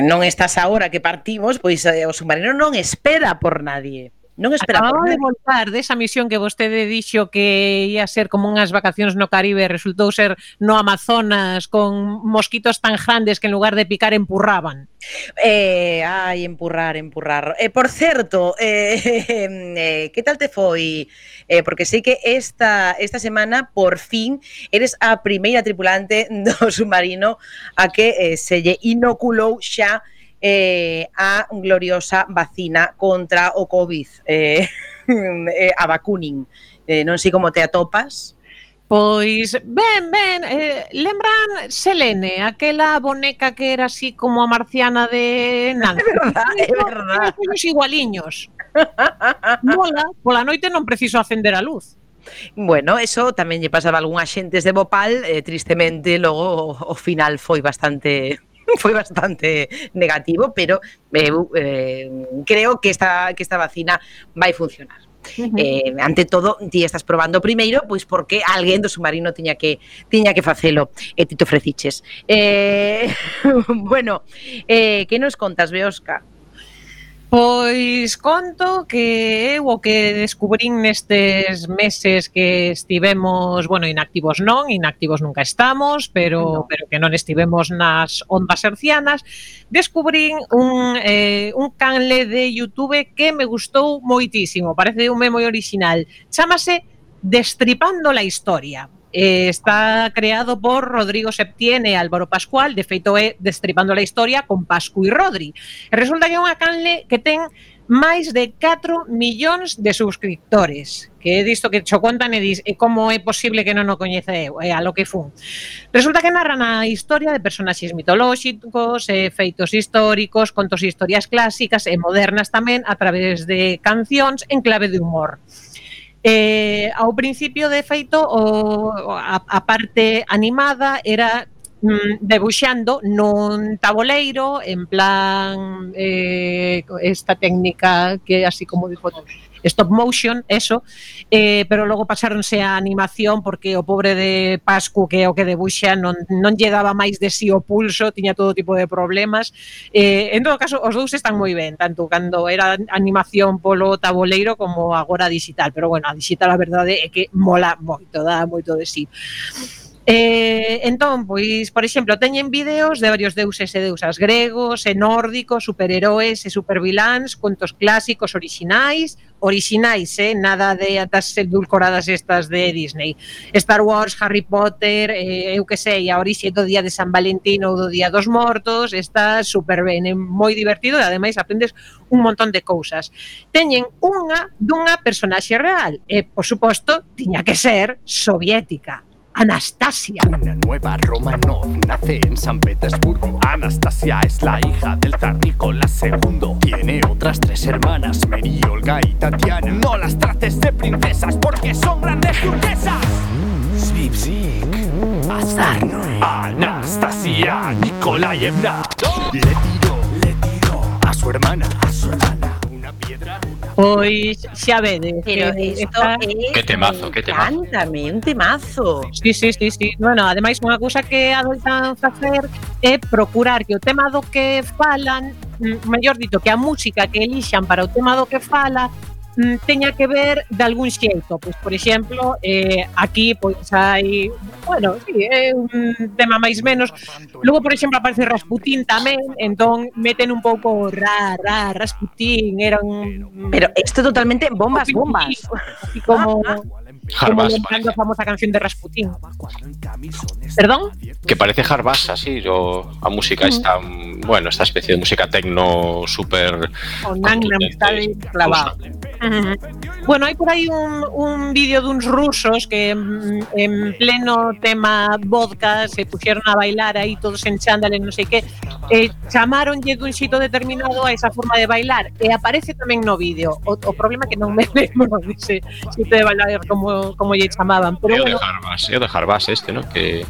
S4: non estás agora que partimos, pois eh, o submarino non espera por nadie. Non espera
S13: Acababa
S4: por nadie.
S13: de voltar desa misión que vostede dixo que ia ser como unhas vacacións no Caribe, resultou ser no Amazonas con mosquitos tan grandes que en lugar de picar empurraban.
S4: Eh, ai, empurrar, empurrar. Eh, por certo, eh, eh, que tal te foi? Eh, porque sei que esta, esta semana, por fin, eres a primeira tripulante do submarino a que eh, se lle inoculou xa eh, a gloriosa vacina contra o COVID, eh, eh, a vacuning. Eh, non sei como te atopas.
S13: Pois, ben, ben, eh, lembran Selene, aquela boneca que era así como a marciana de Nancy.
S4: É verdad, é verdad.
S13: Os igualiños. Mola, pola noite non preciso acender a luz.
S4: Bueno, eso tamén lle pasaba a algún axentes de Bopal, eh, tristemente, logo o, o final foi bastante... foi bastante negativo, pero eh, eh, creo que esta, que esta vacina vai funcionar. Uh-huh. Eh, ante todo, ti estás probando primeiro, pois porque alguén do submarino tiña que tiña que facelo, e ti te ofreciches. Eh, bueno, eh, que nos contas, Beosca?
S13: Pois conto que eu o que descubrín nestes meses que estivemos, bueno, inactivos non, inactivos nunca estamos, pero no. pero que non estivemos nas ondas hercianas, descubrín un, eh, un canle de YouTube que me gustou moitísimo, parece un moi original, chámase Destripando la Historia. Eh, está creado por Rodrigo Septién e Álvaro Pascual, de feito é Destripando la Historia con Pascu e Rodri. E resulta que é unha canle que ten máis de catro millóns de suscriptores, que é disto que xo contan e dis, e como é posible que non o coñece eu, é a lo que fun. Resulta que narran a historia de personaxes mitolóxicos, e feitos históricos, contos e historias clásicas e modernas tamén a través de cancións en clave de humor. Eh, ao principio, de feito, o, a, a parte animada era mm, debuxando nun taboleiro en plan eh, esta técnica que así como de foto stop motion, eso, eh, pero logo pasáronse a animación porque o pobre de Pascu, que é o que debuxa, non, non lle daba máis de si o pulso, tiña todo tipo de problemas. Eh, en todo caso, os dous están moi ben, tanto cando era animación polo taboleiro como agora digital, pero bueno, a digital a verdade é que mola moito, dá moito de si. Eh, entón, pois, por exemplo, teñen vídeos de varios deuses e deusas gregos e nórdicos, superheróis e superviláns, contos clásicos orixinais, orixinais, eh, nada de atas edulcoradas estas de Disney. Star Wars, Harry Potter, eh, eu que sei, a orixe do día de San Valentín ou do día dos mortos, está super ben, é moi divertido e ademais aprendes un montón de cousas. Teñen unha dunha personaxe real e, por suposto, tiña que ser soviética. Anastasia.
S14: Una nueva Romanov nace en San Petersburgo. Anastasia es la hija del zar Nicolás segundo. Tiene otras tres hermanas, Mary, Olga y Tatiana. No las trates de princesas porque son grandes turquesas. Svipzik, Azarno, Anastasia Nikolaevna le tiró, le tiró a su hermana, a su hermana una piedra, una
S13: Pois xa vedes.
S15: Pero
S13: que
S15: isto
S13: está-
S15: é...
S6: Que temazo, que temazo.
S15: Cántame, un temazo.
S13: Sí, sí, sí, sí. Bueno, ademais unha cousa que adoitan facer é procurar que o tema do que falan, mm, mellor dito, que a música que elixan para o tema do que fala mm, teña que ver de algún xeito. Pois, por exemplo, eh, aquí pois hai, bueno, sí, é un tema máis menos. Logo, por exemplo, aparece Rasputín tamén, entón meten un pouco ra, ra, Rasputín, era un...
S15: Pero isto totalmente bombas, bombas.
S13: Así como...
S6: Harbás,
S13: como lembrando a famosa canción de Rasputín. ¿Perdón?
S6: Que parece Harbás, así, o a música esta, mm, bueno, esta especie de música tecno súper...
S13: Con Gangnam Style clavado. Ujú. Bueno, hai por aí un, un vídeo duns rusos que mm, en pleno tema vodka se puxeron a bailar aí todos en chándal e non sei que, e chamaronlle dun xito determinado a esa forma de bailar e aparece tamén no vídeo. O, o problema é que non me lembro dese xito de bailar como, como lle chamaban, pero
S6: É o de
S13: bueno,
S6: Harbás, é o de Harbás este, ¿no? Que,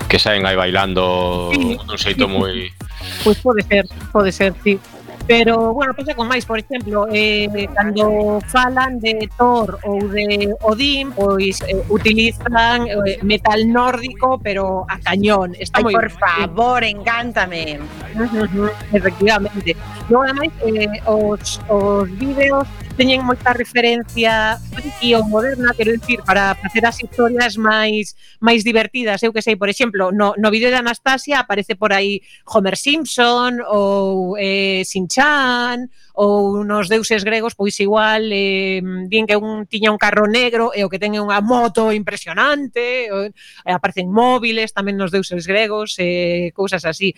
S6: que saen aí bailando
S13: Sí.
S6: dun xeito moi...
S13: pois pode ser, pode ser, sí. Pero, bueno, pasa con máis, por exemplo, eh, cando falan de Thor ou de Odín, pois eh, utilizan eh, metal nórdico, pero a cañón. Está
S15: Ai,
S13: moi
S15: por
S13: ben.
S15: favor, encántame.
S13: Ujú, efectivamente. Logo, ademais, eh, os, os vídeos teñen moita referencia friki ou moderna, quero dicir, para facer as historias máis máis divertidas. Eu que sei, por exemplo, no, no vídeo de Anastasia aparece por aí Homer Simpson ou eh, Shin-chan ou nos deuses gregos, pois igual eh, din que un tiña un carro negro e o que ten é unha moto impresionante, o, eh, aparecen móviles tamén nos deuses gregos, eh, cousas así.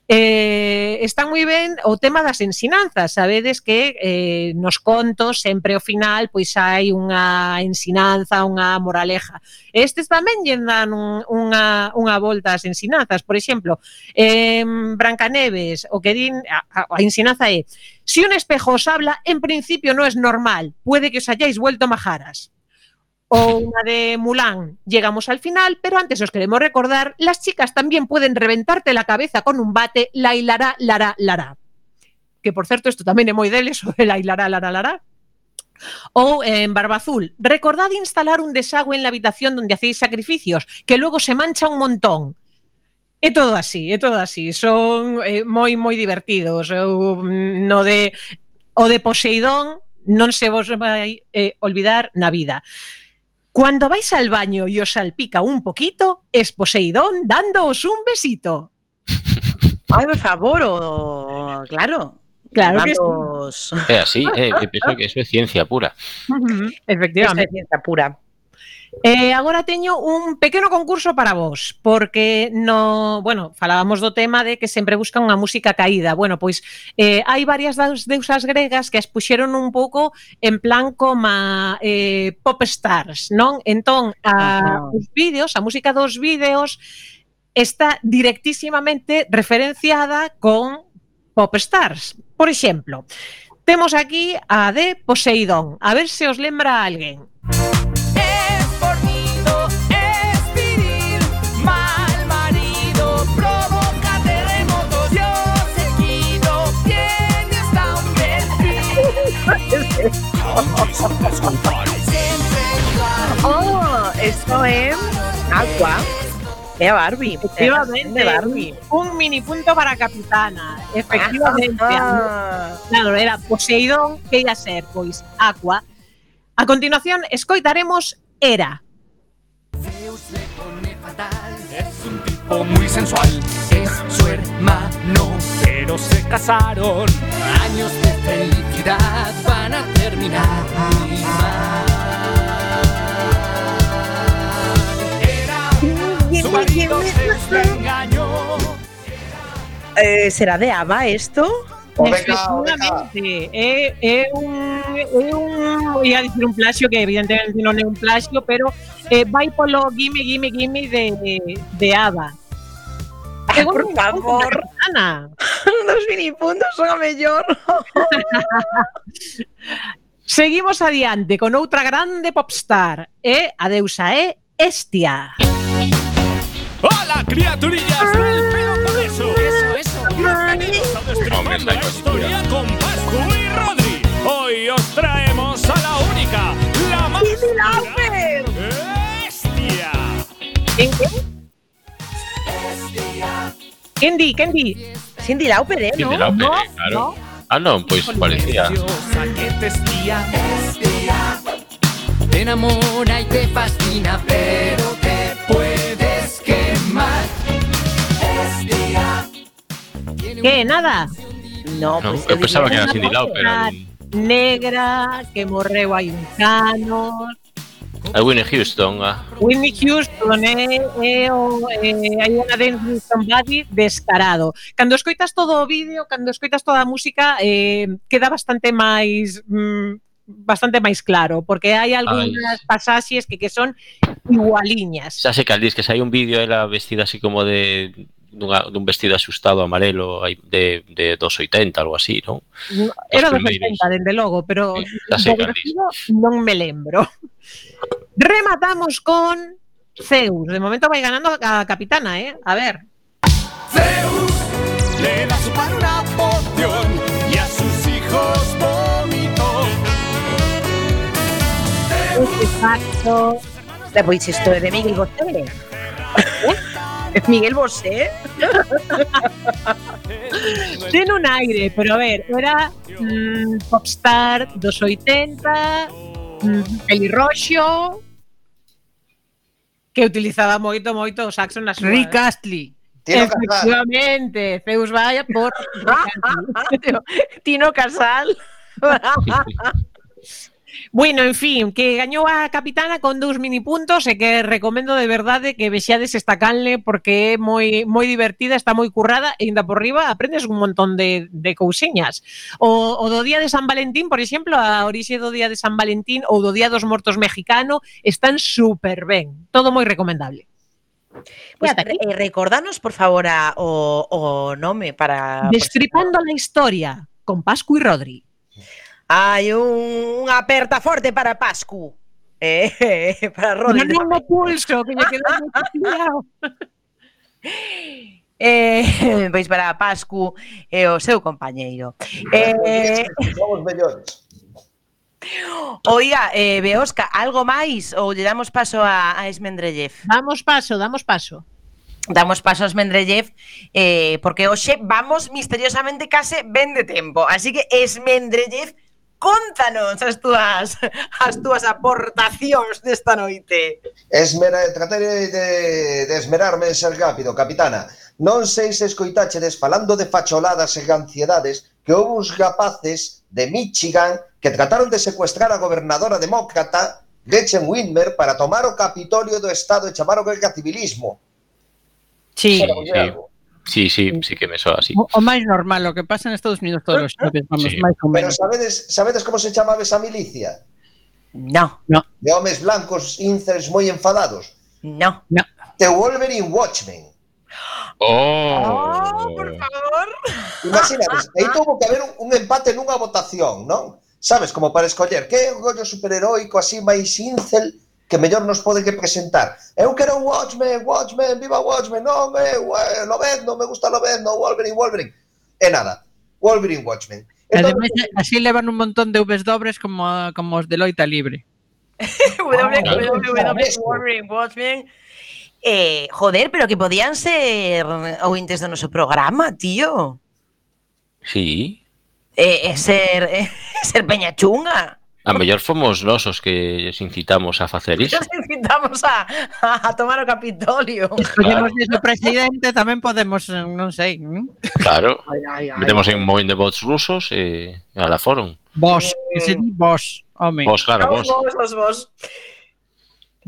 S13: Eh, está moi ben o tema das ensinanzas, sabedes que eh, nos contos sempre ao final pois hai unha ensinanza, unha moraleja. Estes tamén lle dan un, unha, unha volta ás ensinanzas. Por exemplo, en Brancaneves, o que din, a, a, a ensinanza é: si un espejo os habla, en principio no es normal, puede que os hayáis vuelto majaras. O una de Mulan, llegamos al final, pero antes os queremos recordar, las chicas también pueden reventarte la cabeza con un bate, la hilará, lará, lará. Que, por cierto, esto tamén é moi deles, o la hilará, lará, lará. O en Barba Azul, recordad instalar un desagüe en la habitación donde hacéis sacrificios, que luego se mancha un montón. É todo así, é todo así. Son eh, moi, moi divertidos. Eu, no de, o de Poseidón non se vos vai eh, olvidar na vida. Cuando vais al baño y os salpica un poquito, es Poseidón dándoos un besito.
S15: Ay, por favor, o... claro.
S13: Claro que
S15: Vamos.
S6: É así, é, eu penso que eso é ciencia pura.
S13: Ujú,
S15: Esta
S13: efectivamente.
S15: é ciencia pura.
S13: Eh, agora teño un pequeno concurso para vos, porque no, bueno, falábamos do tema de que sempre buscan unha música caída. Bueno, pois eh, hai varias das deusas gregas que as puxeron un pouco en plan como eh, pop stars, non? Entón, a,
S15: Ajá.
S13: os vídeos, a música dos vídeos está directísimamente referenciada con pop stars. Por exemplo, temos aquí a de Poseidón. A ver se os lembra a alguén.
S14: Fornido, es viril, mal marido, provoca terremotos, Dios seguido, tiene hasta un delfín.
S15: Oh, esto es Aqua. É a Barbie.
S13: Efectivamente,
S15: É a Barbie.
S13: un mini punto para a capitana. Efectivamente.
S15: Ah.
S13: Claro, era Poseidón, que ia ser, pois, Aqua. A continuación, escoitaremos Hera.
S14: Zeus le pone fatal, es un tipo muy sensual, es su hermano, pero se casaron. Años de felicidad van a terminar muy mal. Era su marido, Zeus le engañó.
S15: Eh, ¿Será de Ava esto?
S13: Efectivamente, é, é un, é un, ia dicir un plagio que evidentemente non é un plagio, pero eh, vai polo gimme, gimme, gimme de, de Ava.
S15: Ay, por favor.
S13: Ana.
S15: Los minipuntos son a mellor.
S13: Seguimos adiante con outra grande popstar. E a deusa é Hestia.
S14: ¡Hola, criaturillas del pelo con eso! ¡Eso, eso! Bienvenidos a Destripando la Historia con Pascu y Rodri. Hoy os traigo
S13: Quen di, quen di?
S15: Cindy Lauper, eh,
S6: Cindy
S15: non?
S6: Lauper,
S13: No,
S6: eh, claro.
S13: no.
S6: Ah, non, pois parecía.
S14: Que te espía, espía. Te enamora y te fascina, pero te puedes quemar. Espía.
S13: Que, nada?
S15: No,
S6: No,
S15: pues
S6: eu pensaba que era
S13: Unha
S6: Cindy Lauper.
S13: muller negra que morreu hai uns anos.
S6: A Whitney Houston. A...
S13: Whitney Houston é, é o é, hai unha Dance with Somebody descarado. Cando escoitas todo o vídeo, cando escoitas toda a música, eh, queda bastante máis mm, bastante máis claro, porque hai algunhas pasaxes que, que son igualiñas.
S6: Xa sei que al dis que se hai un vídeo ela vestida así como de dunha, dun vestido asustado amarelo aí de, de dos oitenta, algo así, non?
S13: Era dos
S6: primeiros.
S13: oitenta, dende logo, pero
S6: xa sei
S13: do
S6: cal dis.
S13: vestido non me lembro. Rematamos con Zeus. De momento vai ganando a capitana, ¿eh? A ver.
S14: Zeus le da a su padre una poción y a sus hijos vomitó.
S15: Exacto. Pois isto é de Miguel Bosé. Miguel Bosé.
S13: Ten un aire, pero a ver, era mm, popstar dos oitenta, mm, pelirroxo, que utilizaba moito, moito o saxo na súa.
S7: Rick Astley.
S5: Tino
S13: Efectivamente, Zeus vaya por
S15: Tino Casal.
S13: Bueno, en fin, que gañou a capitana con dous mini puntos e que recomendo de verdade que vexades esta canle porque é moi moi divertida, está moi currada e ainda por riba aprendes un montón de, de cousiñas. O, o do día de San Valentín, por exemplo, a orixe do día de San Valentín ou do día dos mortos mexicano están super ben, todo moi recomendable.
S15: Pues, eh, recordanos, por favor, a, o, o nome para...
S13: Destripando la historia con Pascu y Rodri.
S15: Hai un, unha aperta forte para Pascu. Eh, para Rodri.
S13: Non no pulso, que me quedou moi pillado.
S15: Eh, pois para Pascu e o seu compañeiro. Eh,
S5: Somos mellores.
S15: Oiga, eh, Beosca, algo máis ou lle damos paso a, a Esmendrellev?
S13: Damos paso, damos paso.
S15: Damos paso a Esmendrellev eh, porque hoxe vamos misteriosamente case ben de tempo. Así que Esmendrellev, contanos as túas as túas aportacións desta noite.
S5: Esmera, trataré de, de esmerarme en ser rápido, capitana. Non sei se escoitachedes falando de facholadas e ansiedades que houve uns rapaces de Michigan que trataron de secuestrar a gobernadora demócrata Gretchen Whitmer para tomar o Capitolio do Estado e chamar o guerra civilismo.
S13: Sí,
S6: sí. Sí, sí, sí que me soa así.
S7: O, o máis normal, o que pasa en Estados Unidos todos os xoves, vamos,
S6: Sí.
S7: máis ou
S5: Pero
S7: menos.
S5: sabedes, sabedes como se chamaba esa milicia?
S15: No.
S7: No.
S5: De homes blancos incels moi enfadados.
S15: No.
S7: No.
S5: The Wolverine Watchmen.
S6: Oh,
S15: por favor.
S5: Imagínades, aí tuvo que haber un, un empate nunha votación, non? Sabes, como para escoller que rollo superheroico así máis incel que mellor nos poden que presentar. Eu quero un Watchmen, Watchmen, viva Watchmen, non, eu, eh, Lobezno, me gusta Lobezno, Wolverine, Wolverine. E nada, Wolverine, Watchmen.
S7: E ademais, así levan un montón de Vs dobres como, como os de Loita Libre.
S15: Wolverine Watchmen. Eh, joder, pero que podían ser ointes do noso programa, tío.
S6: sí.
S15: Eh, eh, ser, eh, ser peña chunga.
S6: A mellor fomos nós os que les incitamos a facer iso.
S15: Nos invitamos a, a, a tomar o Capitolio.
S7: Podemos ser o presidente, tamén podemos, eh, non sei. ¿Mm?
S6: Claro.
S15: Ai, ai, ai.
S6: Metemos en un movimento de votos rusos e a la foron.
S7: Vos, que se di vos, home.
S6: Vos, claro,
S15: Vos,
S6: vos.
S15: vos, vos, vos.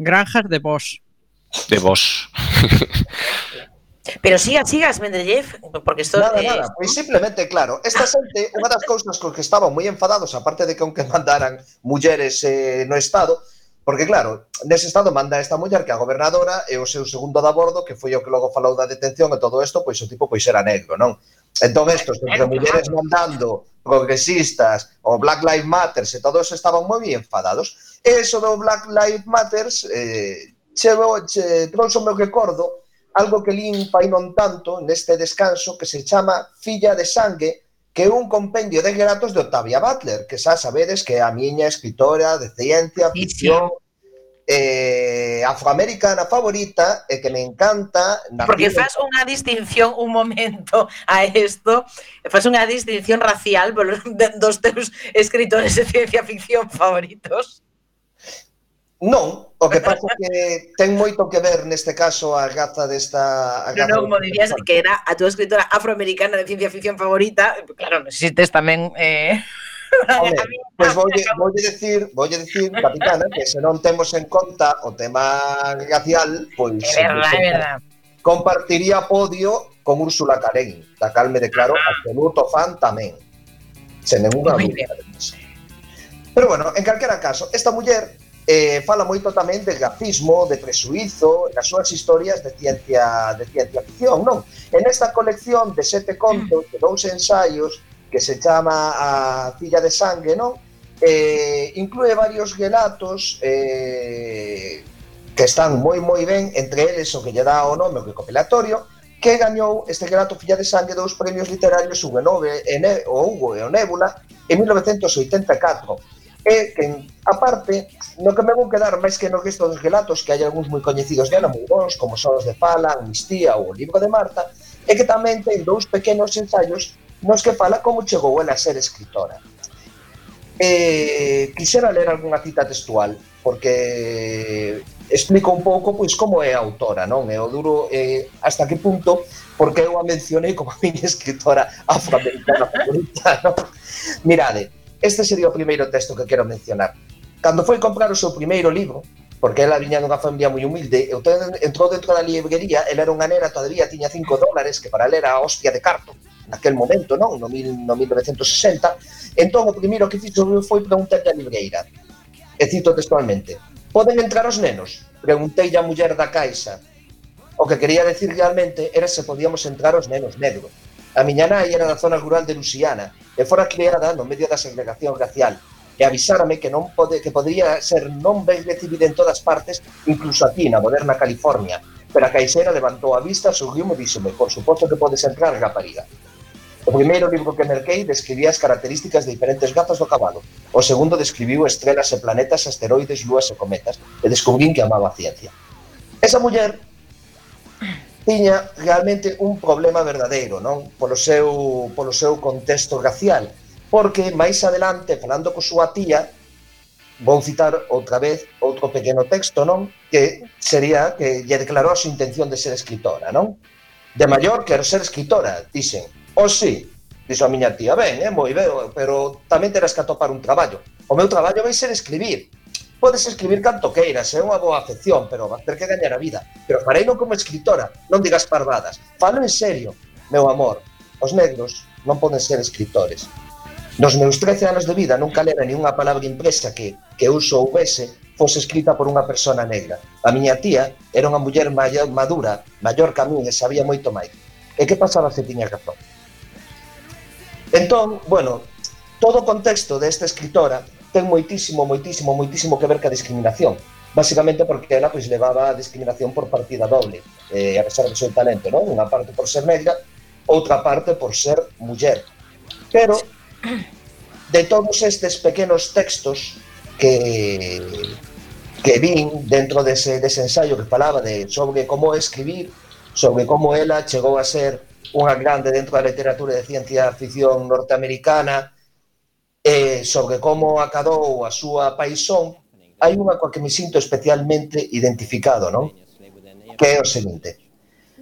S7: Granjas de vos.
S6: De vos.
S15: Pero siga, siga, Esmendrellev, porque esto
S5: Nada,
S15: eh,
S5: nada, pois simplemente, claro, esta xente, unha das cousas con que estaban moi enfadados, aparte de que aunque mandaran mulleres eh, no Estado, porque claro, nese Estado manda esta muller que a gobernadora e o seu segundo de abordo, que foi o que logo falou da detención e todo isto, pois o tipo pois era negro, non? Entón estos, entre mulleres mandando, progresistas, o Black Lives Matter, e todos estaban moi bien enfadados. E eso do Black Lives Matter eh, che, che trouxe o meu recordo algo que lín fai non tanto neste descanso que se chama Filla de Sangue, que é un compendio de relatos de Octavia Butler, que xa sabedes que é a miña escritora de ciencia, ficción, eh, afroamericana favorita e que me encanta.
S15: Porque faz unha distinción, un momento a isto, faz unha distinción racial dos teus escritores de ciencia ficción favoritos.
S5: Non, o que pasa é que ten moito que ver neste caso a raza desta...
S15: Non, non, como dirías que era a tua escritora afroamericana de ciencia ficción favorita, claro, necesites tamén... Eh...
S5: Vale, pois voulle, voulle decir, voulle decir, capitana, que se non temos en conta o tema racial, pois
S15: é verdad, é verdad.
S5: Compartiría podio con Úrsula K. Le Guin, da cal me declaro absoluto fan tamén. Sen ninguna dúbida. Pero bueno, en calquera caso, esta muller eh, fala moito tamén de racismo, de presuízo, nas súas historias de ciencia de ciencia ficción, non? En esta colección de sete contos, de dous ensaios, que se chama A Filla de Sangue, non? Eh, inclúe varios relatos eh, que están moi moi ben, entre eles o que lle dá o nome o recopilatorio, que gañou este relato Filla de Sangue dous premios literarios Hugo Nove, o Hugo e o Nébula en mil novecentos oitenta e catro. E que, aparte, no que me vou quedar máis que no resto dos relatos, que hai algúns moi coñecidos dela, moi bons, como son os de Fala, Amnistía ou o Libro de Marta, e que tamén ten dous pequenos ensaios nos que fala como chegou ela a ser escritora. Eh, quixera ler algunha cita textual, porque explico un pouco pois como é a autora, non? E o duro eh, hasta que punto, porque eu a mencionei como a miña escritora afroamericana favorita, non? Mirade, este sería o primeiro texto que quero mencionar. Cando foi comprar o seu primeiro libro, porque ela viña dunha familia moi humilde, entrou dentro da librería, ela era unha nena, todavía tiña cinco dólares, que para ela era a hostia de carto, naquel momento, non? No, mil, no mil novecentos sesenta, entón o primeiro que fixo foi preguntar a libreira, e cito textualmente: poden entrar os nenos? Preguntei a muller da caixa. O que quería decir realmente era se podíamos entrar os nenos negros. A miña nai era da zona rural de Luisiana e fora criada no medio da segregación racial, e avisárame que non pode, que podría ser non ben recibida en todas partes, incluso aquí na moderna California. Pero a caixera levantou a vista, sorriu e díxome: por suposto que podes entrar, rapariga. O primeiro libro que merquei describía as características de diferentes gazas do cabalo. O segundo describiu estrelas e planetas, asteroides, lúas e cometas, e descubrín que amaba a ciencia. Esa muller tiña realmente un problema verdadeiro, non? Polo seu, polo seu contexto racial, porque máis adelante, falando co súa tía, vou citar outra vez outro pequeno texto, non? Que sería que lle declarou a súa intención de ser escritora, non? De maior quero ser escritora, dixen. O sí, dixo a miña tía, ben, é moi ben, pero tamén terás que atopar un traballo. O meu traballo vai ser escribir. Podes escribir canto queiras, é unha boa afección, pero vas ter que gañar a vida. Pero farei non como escritora, non digas parvadas. Falo en serio, meu amor. Os negros non poden ser escritores. Nos meus trece anos de vida nunca lera ni unha palabra impresa que, que eu soubese fose escrita por unha persona negra. A miña tía era unha muller maior, madura, maior que a min e sabía moito máis. E que pasaba se tiña razón? Entón, bueno, todo o contexto desta escritora ten moitísimo, moitísimo, moitísimo que ver ca discriminación. Básicamente porque ela pois levaba a discriminación por partida doble, eh, a pesar do seu talento, non? Unha parte por ser negra, outra parte por ser muller. Pero, de todos estes pequenos textos que, que vin dentro dese, dese ensaio que falaba de, sobre como escribir, sobre como ela chegou a ser unha grande dentro da literatura de ciencia ficción norteamericana, e sobre como acadou a súa paixón, hai unha coa que me sinto especialmente identificado, non? Que é o seguinte: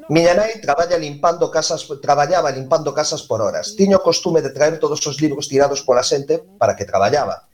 S5: miña nai traballa limpando casas, traballaba limpando casas por horas. Tiña o costume de traer todos os libros tirados pola xente para que traballaba.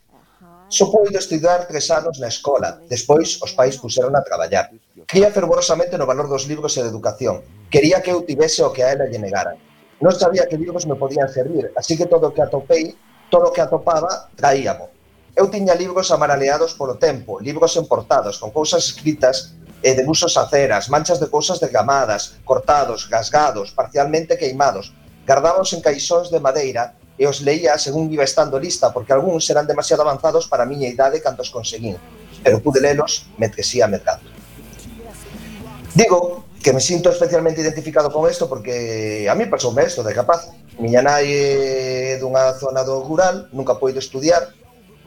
S5: Só puido estudar tres anos na escola, despois os pais puseron a traballar. Cría fervorosamente no valor dos libros e da educación. Quería que eu tivese o que a ela lle negaran. Non sabía que libros me podían servir, así que todo o que atopei, todo o que atopaba, traíamo. Eu tiña libros amaraleados polo tempo, libros emportados, con cousas escritas e debuxos a ceras, manchas de cousas desgamadas, cortados, rasgados, parcialmente queimados. Gardábamos en caixóns de madeira e os leía según iba estando lista, porque algúns eran demasiado avanzados para a miña idade cando os conseguín, pero pude lelos mentre ia mercado. Digo que me sinto especialmente identificado con isto porque a mí pasoume isto de capaz. Miña nai é dunha zona do rural, nunca poido estudiar,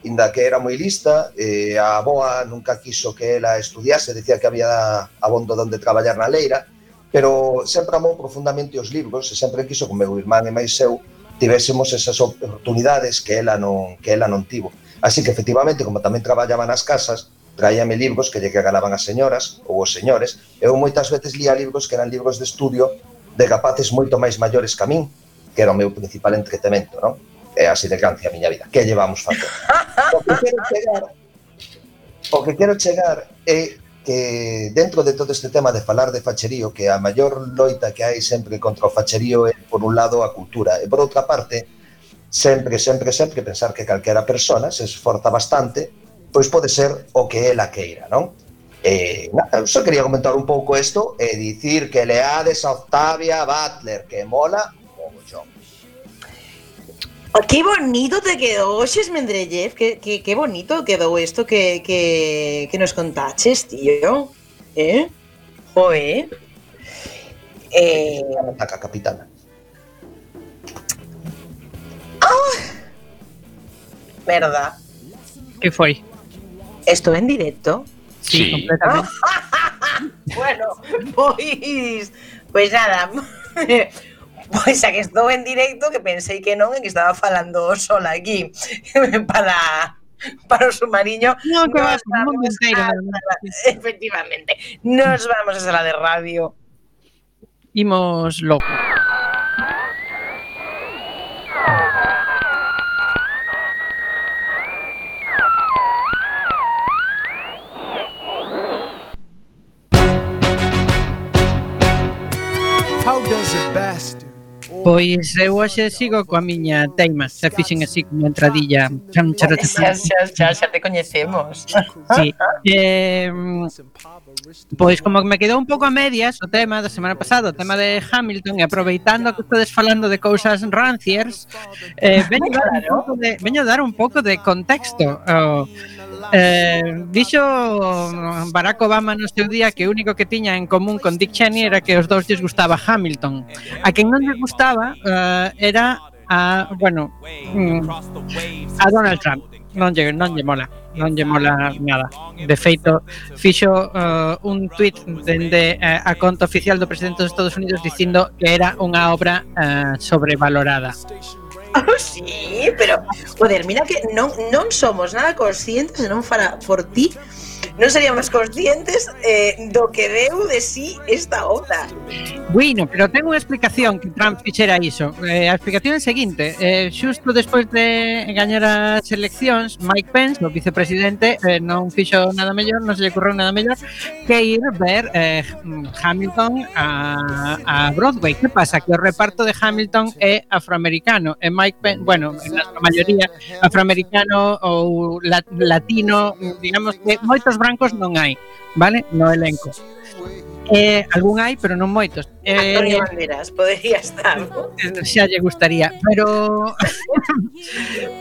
S5: inda que era moi lista, eh, a avoa nunca quiso que ela estudiase, decía que había abondo donde traballar na leira, pero sempre amou profundamente os libros e sempre quiso que o meu irmán e máis eu tivésemos esas oportunidades que ela non, que ela non tivo. Así que, efectivamente, como tamén traballaba nas casas, traíame libros que lle regalaban as señoras ou os señores. Eu moitas veces lía libros que eran libros de estudio de rapaces moito máis maiores que a min, que era o meu principal entretemento, non? É así de grande a miña vida. Que llevamos facer? O que quero chegar, o que quero chegar é que dentro de todo este tema de falar de facherío, que a maior loita que hai sempre contra o facherío é, por un lado, a cultura, e por outra parte, sempre, sempre, sempre pensar que calquera persona se esforza bastante, pois pode ser o que ela queira, non? Eh, nada, só quería comentar un pouco isto e dicir que leades a Octavia Butler, que mola mogollón.
S15: Qué bonito te quedó, Xes Mendrellev, qué, qué, qué bonito quedó esto que, que, que nos contaches, tío. ¿Eh? Joder. Eh...
S5: Ataca, capitana.
S15: ¡Ah! ¿Verdad?
S7: ¿Qué fue?
S15: ¿Esto en directo?
S7: Sí, sí. Completamente.
S15: Bueno, pues, pues nada. Pois a que estou en directo, que pensei que non, e que estaba falando sola aquí para para o submarino.
S7: No, que vas, un mundo inteiro.
S15: Efectivamente, nos vamos a sala de radio.
S7: Imos logo.
S16: How does a bastard?
S7: Pois eu hoxe sigo coa miña teima, se fixen así como entradilla.
S15: Xa, xa, xa, xa te coñecemos.
S7: Sí. Eh, pois como me quedou un pouco a medias o tema da semana pasada, o tema de Hamilton, e aproveitando que estades falando de cousas ranciers, eh, veño, dar un pouco de, veño dar un pouco de contexto. Oh, Eh, dixo Barack Obama no seu día que o único que tiña en común con Dick Cheney era que os dous lles gustaba Hamilton. A quen non lle gustaba uh, era a, bueno, mm, a Donald Trump. Non lle, non lle mola, non lle mola nada. De feito, fixo uh, un tuit dende uh, a conta oficial do presidente dos Estados Unidos dicindo que era unha obra uh, sobrevalorada.
S15: Oh, sí, pero, joder, mira que non, non somos nada conscientes e non fara por ti, non seríamos conscientes eh, do que deu de sí esta obra.
S7: Bueno, pero ten unha explicación que Trump fixera iso. Eh, a explicación é a seguinte, eh, xusto despois de gañar as eleccións, Mike Pence, o vicepresidente, eh, non fixo nada mellor, non se lle ocurreu nada mellor que ir ver eh, Hamilton a, a Broadway. Que pasa? Que o reparto de Hamilton é afroamericano e Mike Pence, bueno, na maioría afroamericano ou latino, digamos que moitos brancos non hai, vale? No elenco. Eh, algún hai, pero non moitos. Eh,
S15: Antonio Banderas, podería estar.
S7: Xa lle gustaría, pero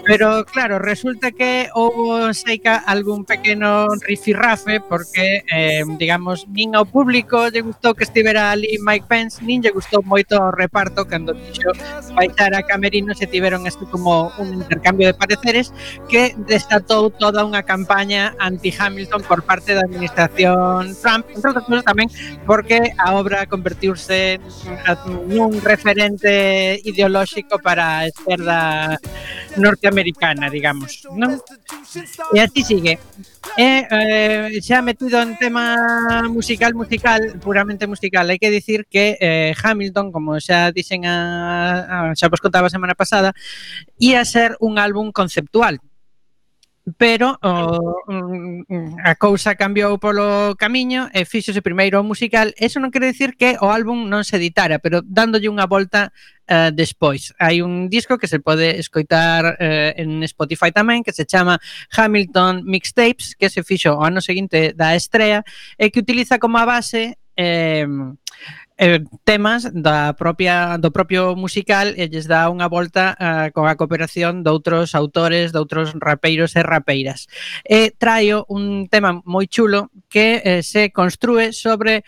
S7: pero claro, resulta que houbo seica algún pequeno rifirrafe porque eh, digamos, nin ao público lle gustou que estivera ali Mike Pence, nin lle gustou moito o reparto cando dixo baixar a camerinos e tiveron este como un intercambio de pareceres que desatou toda unha campaña anti-Hamilton por parte da administración Trump, entre outras cousas tamén porque a obra convertiuse nun referente ideolóxico para a esquerda norteamericana, digamos, non? E así sigue. E eh, xa metido en tema musical, musical, puramente musical, hai que dicir que eh, Hamilton, como xa dixen a, a, xa vos contaba a semana pasada, ia ser un álbum conceptual. Pero oh, a cousa cambiou polo camiño e fíxose primeiro o musical. Eso non quere dicir que o álbum non se editara, pero dándolle unha volta uh, despois. Hai un disco que se pode escoitar uh, en Spotify tamén, que se chama Hamilton Mixtapes, que se fixo o ano seguinte da estrea e que utiliza como a base eh, eh, temas da propia do propio musical e lles dá unha volta uh, con a cooperación de outros autores, de outros rapeiros e rapeiras. E traio un tema moi chulo que eh, se construe sobre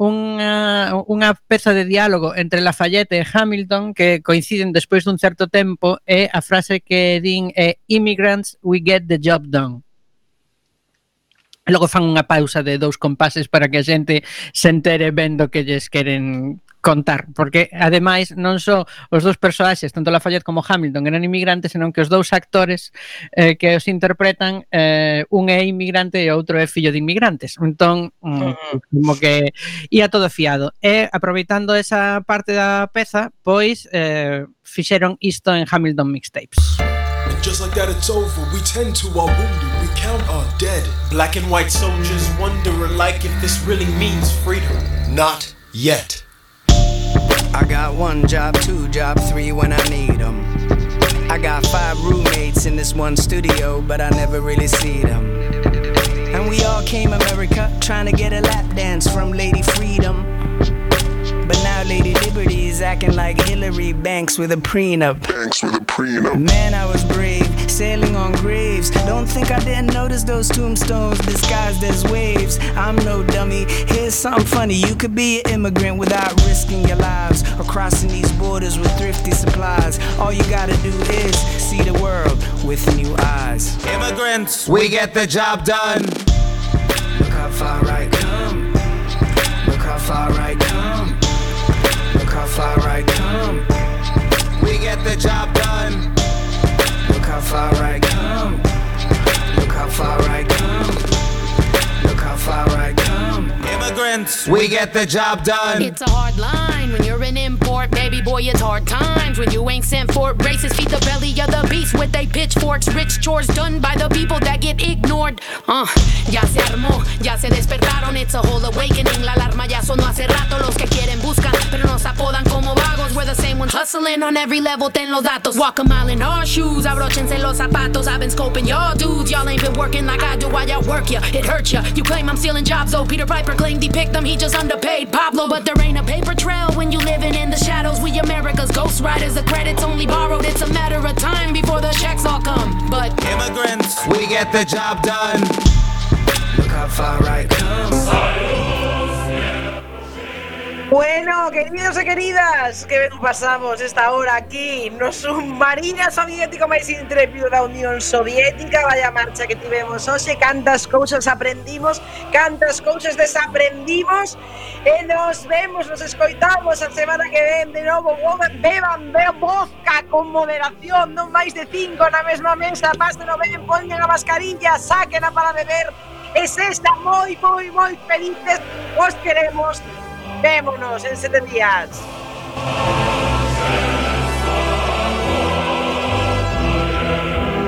S7: unha, unha peza de diálogo entre Lafayette e Hamilton que coinciden despois dun certo tempo e a frase que din é "Immigrants, we get the job done". Logo fan unha pausa de dous compases para que a xente se entere vendo que lles queren contar, porque ademais non só os dous personaxes, tanto Lafayette como Hamilton, eran inmigrantes, senón que os dous actores eh, que os interpretan, eh, un é inmigrante e outro é fillo de inmigrantes. Entón, mm, como que ia todo fiado. E aproveitando esa parte da peza, pois eh, fixeron isto en Hamilton Mixtapes.
S16: Just like that it's over, we tend to our wounded, we count our dead. Black and white soldiers wonder alike if this really means freedom. Not yet.
S17: I got one job, two job, three when I need them. I got five roommates in this one studio, but I never really see them. And we all came America trying to get a lap dance from Lady Freedom. But now Lady Liberty is acting like Hillary Banks with a prenup. Banks with a prenup. Man, I was brave, sailing on graves. Don't think I didn't notice those tombstones disguised as waves. I'm no dummy. Here's something funny. You could be an immigrant without risking your lives or crossing these borders with thrifty supplies. All you gotta do is see the world with new eyes.
S16: Immigrants, we get the job done.
S17: Look how far I come. Look how far I come. Look how far I come.
S16: We get the job done.
S17: Look how far I come. Look how far I come. Look how far I come.
S16: Immigrants, we get the job done.
S18: It's a hard line when you're an import, baby boy, it's hard times when you ain't sent for it. Racists feed the belly of the beast with they pitchforks. Rich chores done by the people that get ignored. Uh, ya se armó, ya se despertaron. It's a whole awakening. La alarma ya sonó hace rato. Los que quieren buscan, pero nos apodan como vagos. We're the same ones hustling on every level. Ten los datos. Walk a mile in our shoes. Abróchense los zapatos. I've been scoping y'all dudes. Y'all ain't been working like I do while y'all work ya. It hurts ya. You claim I'm stealing jobs, though. Peter Piper claimed he picked them. He just underpaid Pablo. But there ain't a paper trail when you living in the shadows. We America's ghost riders. The credit's only borrowed. It's a matter of time before the checks all come. But
S16: immigrants, we get the job done.
S17: Look how far I come.
S4: Bueno, queridos e queridas, que ben pasamos esta hora aquí no submarino soviético máis intrépido da Unión Soviética. Vaya marcha que tivemos hoxe, cantas cousas aprendimos, cantas cousas desaprendimos, e nos vemos, nos escoitamos a semana que ven de novo. Beban, beban vodka con moderación, non máis de cinco na mesma mesa, pásenlo ben, poñen a mascarilla, sáquena para beber, e se está moi, moi, moi felices, os queremos. Vémonos en siete días.